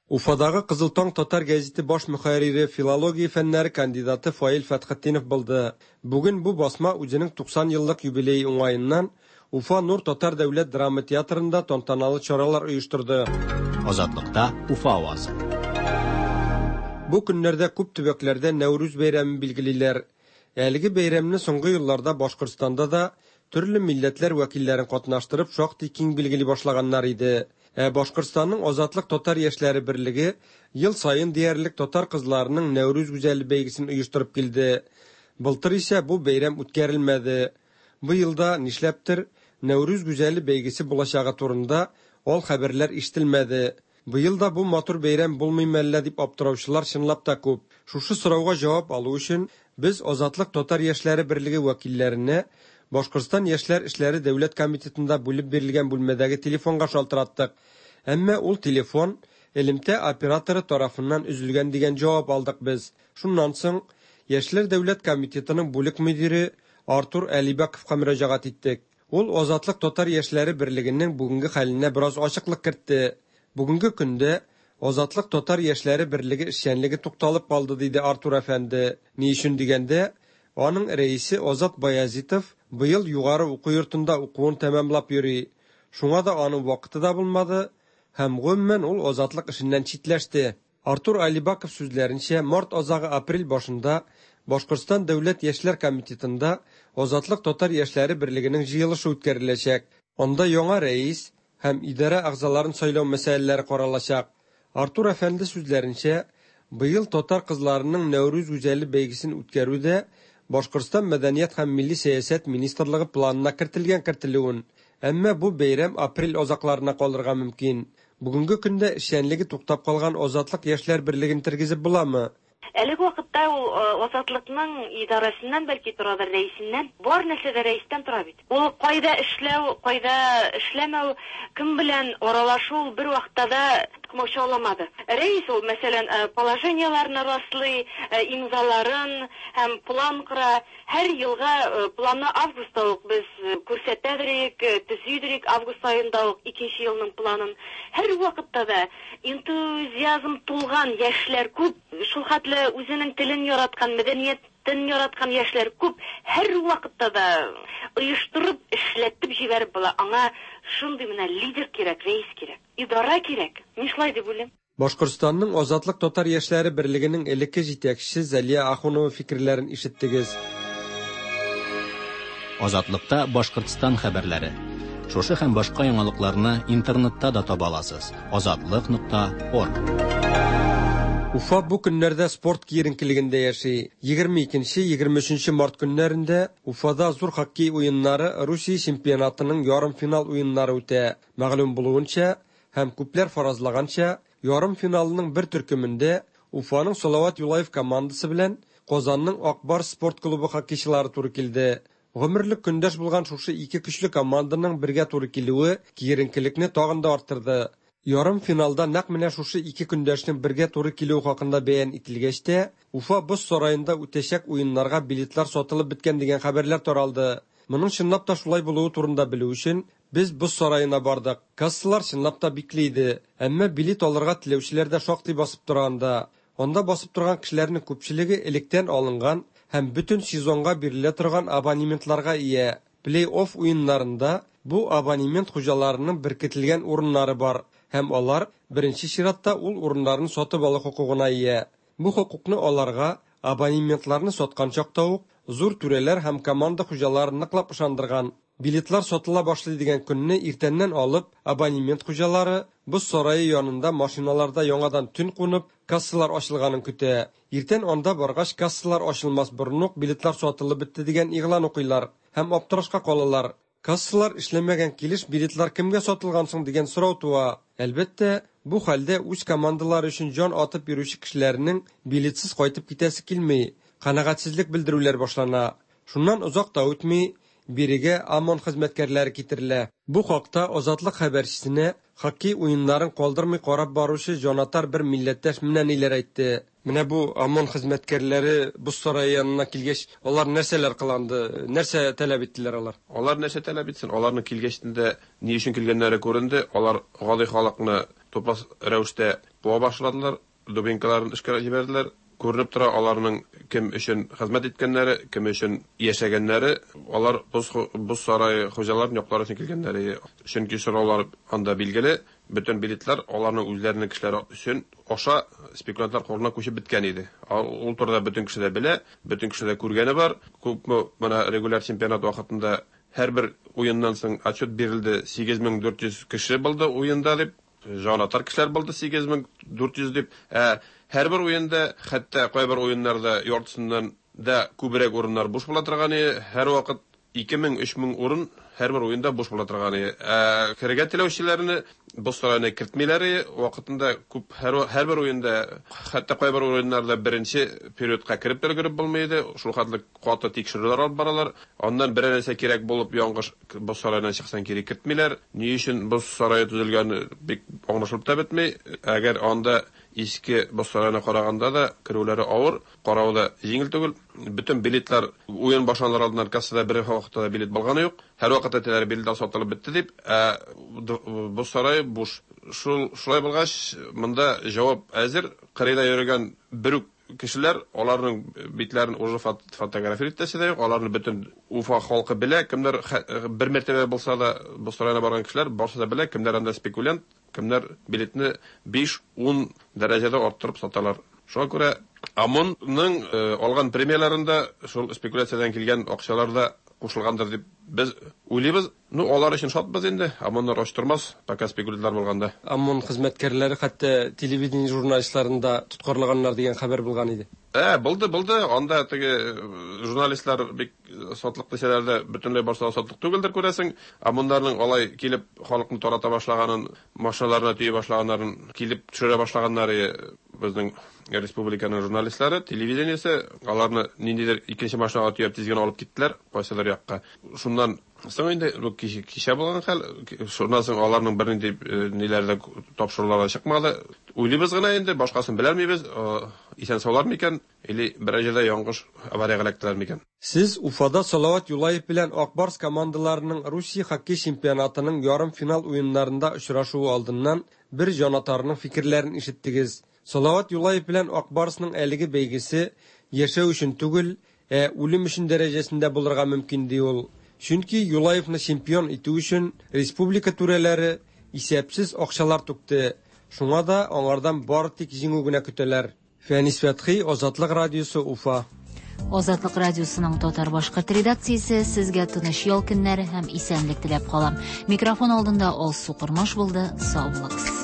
Уфадагы Кызыл таң татар гәзите баш мөхәррире, филология фәннәре кандидаты Фаил Фәтхетдинов булды. Бүген бу басма үзенең туксан еллык юбилее уңаеннан Уфа Нур татар дәүләт драма театрында тантаналы чаралар оештырды. Азатлыкта Уфа авазы. Бу көннәрдә күп төбәкләрдә Нәүрүз бәйрәмен билгелиләр. Әлеге бәйрәмне соңгы елларда Башкортстанда да төрле милләтләр вәкилләрен катнаштырып шактый киң билгели башлаганнар иде. Ә Башкортстанның Азатлык татар яшьләре берлеге ел саен диярлек татар кызларының Нәүрүз гүзәле бәйгесен оештырып килде. Былтыр исә бу бәйрәм үткәрелмәде. Бу елда нишләптер Нәүрүз гүзәле бәйгесе булачагы турында ал хәбәрләр ишетелмәде. Быел да бу матур бәйрәм булмый мәллә дип аптыраучылар чынлап та күп. Шушы сорауга җавап алу өчен без Азатлык татар яшьләре берлеге вәкилләренә Башкортстан яшьләр эшләре дәүләт комитетында бүлеп бирелгән бүлмәдәге телефонга шалтыраттык. Әмма ул телефон элемтә операторы тарафыннан өзелгән дигән җавап алдык без. Шуннан соң Яшьләр дәүләт комитетының бүлек мөдире Артур Әлибәковка мөрәҗәгать иттек. Ул Азатлык татар яшьләре берлегенең бүгенге хәленә бераз ачыклык кертте. Бүгенге көндә Азатлык татар яшьләре берлеге эшчәнлеге тукталып калды, диде Артур әфәнде. Ни өчен дигәндә, аның рәисе Азат Баязитов быел югары уку йортында укуын тәмамлап йөри. Шуңа да аның вакыты да булмады һәм гомумән ул Азатлык эшеннән читләште. Артур Алибаков сүзләренчә, март азагы апрель башында Башкортстан дәүләт яшьләр комитетында Азатлык татар яшьләре берлегенең җыелышы үткәреләчәк. Анда яңа рәис һәм идарә әгъзаларын сайлау мәсьәләләре каралачак. Артур әфәнде сүзләренчә, быел татар кызларының Нәүрүз гүзәле бәйгесен үткәрү дә Башкортстан Мәдәният һәм милли сәясәт министрлыгы планына кертелгән кертелүен. Әмма бу бәйрәм апрель азакларына калырга мөмкин. Бүгенге көндә эшчәнлеге туктап калган Азатлык яшьләр берлеген тергезеп буламы? Әлеге вакытта ул Азатлыкның идарәсеннән бәлки торадыр, рәисеннән. Бар нәрсә дә рәистән тора бит. Ул кайда эшләү, кайда эшләмәү, кем белән аралашу ул бер вакытта да комачауламады. Рәис ул, мәсәлән, положениеләрне раслый, имзаларын һәм план кора. Һәр елга планны августта ук без күрсәтәдерик, төзидерик, август аенда ук икенче елның планын. Һәр вакытта да энтузиазм тулган яшьләр күп, шул хәтле үзенең телен яраткан, мәдәниятен яраткан яшьләр күп. Һәр вакытта да оештырып, эшләтеп җибәреп була. Аңа шундый менә лидер кирәк, рәис кирәк, идара кирәк. Мин шулай дип уйлыйм. Башкортстанның Азатлык татар яшьләре берлегенең элекке җитәкчесе Зәлия Ахунова фикерләрен ишеттегез. Азатлыкта Башкортстан хәбәрләре. Шушы һәм башка яңалыкларны интернетта да таба аласыз. азатлык нокта орг. Уфа бу көннәрдә спорт киеренкелегендә яши. Егерме икенче, егерме өченче март көннәрендә Уфада зур хоккей уеннары Русия чемпионатының ярымфинал уеннары үтә. Мәгълүм булуынча һәм күпләр фаразлаганча, ярымфиналның бер төркемендә Уфаның Салават Юлаев командасы белән Казанның Акбар спорт клубы хоккейчылары туры килде. Гомерлек көндәш булган шушы ике көчле команданың бергә туры килүе киеренкелекне тагын да арттырды. Ярым финалда нәкъ менә шушы ике көндәшнең бергә туры килүе хакында бәян ителгәч тә, Уфа боз сараенда үтәчәк уеннарга билетлар сатылып беткән дигән хәбәрләр таралды. Моның чынлап та шулай булуы турында белү өчен без боз сараена бардык. Кассалар чынлап та бикле иде, әмма билет алырга теләүчеләр дә шактый басып тора анда. Анда басып торган кешеләрнең күпчелеге электән алынган һәм бөтен сезонга бирелә торган абонементларга ия. Плей-офф уеннарында бу абонемент хуҗаларының беркетелгән урыннары бар һәм алар беренче чиратта ул урыннарны сатып алу хокукына ия. Бу хокукны аларга абонементларны саткан чакта ук зур түрәләр һәм команда хуҗалары ныклап ышандырган. Билетлар сатыла башлый дигән көнне иртәннән алып абонемент хуҗалары боз сарае янында машиналарда яңадан төн кунып, кассалар ачылганын көтә. Иртән анда баргач кассалар ачылмас борын ук билетлар сатылып бетте дигән игълан укыйлар һәм аптырашка калалар. Кассалар эшләмәгән килеш билетлар кемгә сатылган соң дигән сорау туа. Әлбәттә, бу хәлдә үз командалары өчен җан атып йөрүче кешеләрнең билетсез кайтып китәсе килми. Канәгатьсезлек белдерүләр башлана. Шуннан озак та үтми, бирегә ОМОН хезмәткәрләре китерелә. Бу хакта Азатлык хәбәрчесенә хоккей уеннарын калдырмый карап баручы җанатар бер милләттәш менә ниләр әйтте. Менә бу ОМОН хезмәткәрләре боз сарае янына килгәч, алар нәрсәләр кыланды, нәрсә таләп иттеләр алар? Алар нәрсә таләп итсен? Аларның килгәчтендә ни өчен килгәннәре күренде. Алар гади халыкны тупас рәвештә куа башладылар, дубинкаларын эшкә җибәрделәр. Күренеп тора аларның кем өчен хезмәт иткәннәре, кем өчен яшәгәннәре, алар боз, боз сарае хуҗаларын яклар өчен килгәннәре. Чөнки сораулар анда билгеле, бөтен билетлар аларның үзләренең кешеләре өчен аша спекулянтлар кулына күчеп беткән иде. Ул турыда бөтен кеше дә белә, бөтен кеше дә күргәне бар. Күпме менә регуляр чемпионат вакытында һәрбер уеннан соң отчет бирелде, сигез мең дүрт йөз кеше булды уенда дип, җанатар кешеләр булды сигез мең дүрт йөз дип. Ә һәрбер уенда, хәтта кайбер уеннарда яртысыннан да күбрәк урыннар буш була торган иде. Һәрвакыт ике мең, өч мең урын һәрбер уенда буш була торган иде. Ә керергә теләүчеләрне боз сараена кертмиләр иде. Вакытында күп һәр, һәрбер уенда, хәтта кайбер уеннарда беренче периодка кереп тә өлгереп булмый иде. Шул хәтле каты тикшерүләр алып баралар. Аннан берәр нәрсә кирәк булып яңгыш боз сараеннан чыксаң кире кертмиләр. Ни өчен боз сарае төзелгәне бик аңлашылып та бетми. Әгәр анда иске боз сараена караганда да керүләре авыр, каравы да җиңел түгел. Бөтен билетлар уен башланыр алдыннан кассада бер вакытта да билет булганы юк. Һәр вакытта әйтәләр билетлар сатылып бетте дип, ә боз сарае буш. Шул шулай булгач, монда җавап әзер. Кырыйда йөргән бер үк кешеләр, аларның битләрен уже фотография итәсе дә юк. Аларны бөтен Уфа халкы белә, кемнәр бер мәртәбә булса да боз сараена барган кешеләр барсы да белә, кемнәр анда спекулянт, кемнәр билетны биш-ун дәрәҗәдә арттырып саталар. Шуңа күрә ОМОНның алган премияләрендә шул спекуляциядән килгән акчалар да кушылгандыр дип без уйлыйбыз. Ну, алар өчен шатбыз инде. ОМОНнар ач тормас, пока спекулянтлар булганда. ОМОН хезмәткәрләре хәтта телевидение журналистларын да тоткарлаганнар дигән хәбәр булган иде. Ә, булды, булды. Анда теге журналистлар бик сатлык дисәләр дә, бөтенләй барса сатлык түгелдер, күрәсең. Ә монларның алай килеп халыкны тарата башлаганын, машиналарына төя башлаганнарын, килеп төшерә башлаганнары безнең республиканың журналистлары, телевидениесе, аларны ниндидер икенче машинага төяп тиз генә алып киттеләр, кайсыдыр якка. Шуннан соң инде бу кичә булган хәл, шуннан соң аларның бернинди ниләре дә, тапшырулары чыкмады. Уйлыйбыз гына инде, башкасын белмибез, исән саулар микән, или берәр җирдә яңгыш авариягә эләктеләр микән. Сез Уфада Салават Юлаев белән Ак Барс командаларының Русия хоккей чемпионатының ярымфинал уеннарында очрашуы алдыннан бер җанатарның фикерләрен ишеттегез. Салават Юлаев белән Ак Барсның әлеге бәйгесе яшәү өчен түгел, ә үлем өчен дәрәҗәсендә булырга мөмкин, ди ул. Чөнки Юлаевны чемпион итү өчен республика түрәләре исәпсез акчалар түкте. Шуңа да аңардан бары тик җиңү генә көтәләр. Фәнис Фәтхи, Азатлык радиосы, Уфа. Азатлык радиосының татар-башкорт редакциясе сезгә тыныч ял көннәре һәм исәнлек теләп калам. Микрофон алдында Алсу Кормаш булды. Сау булыгыз.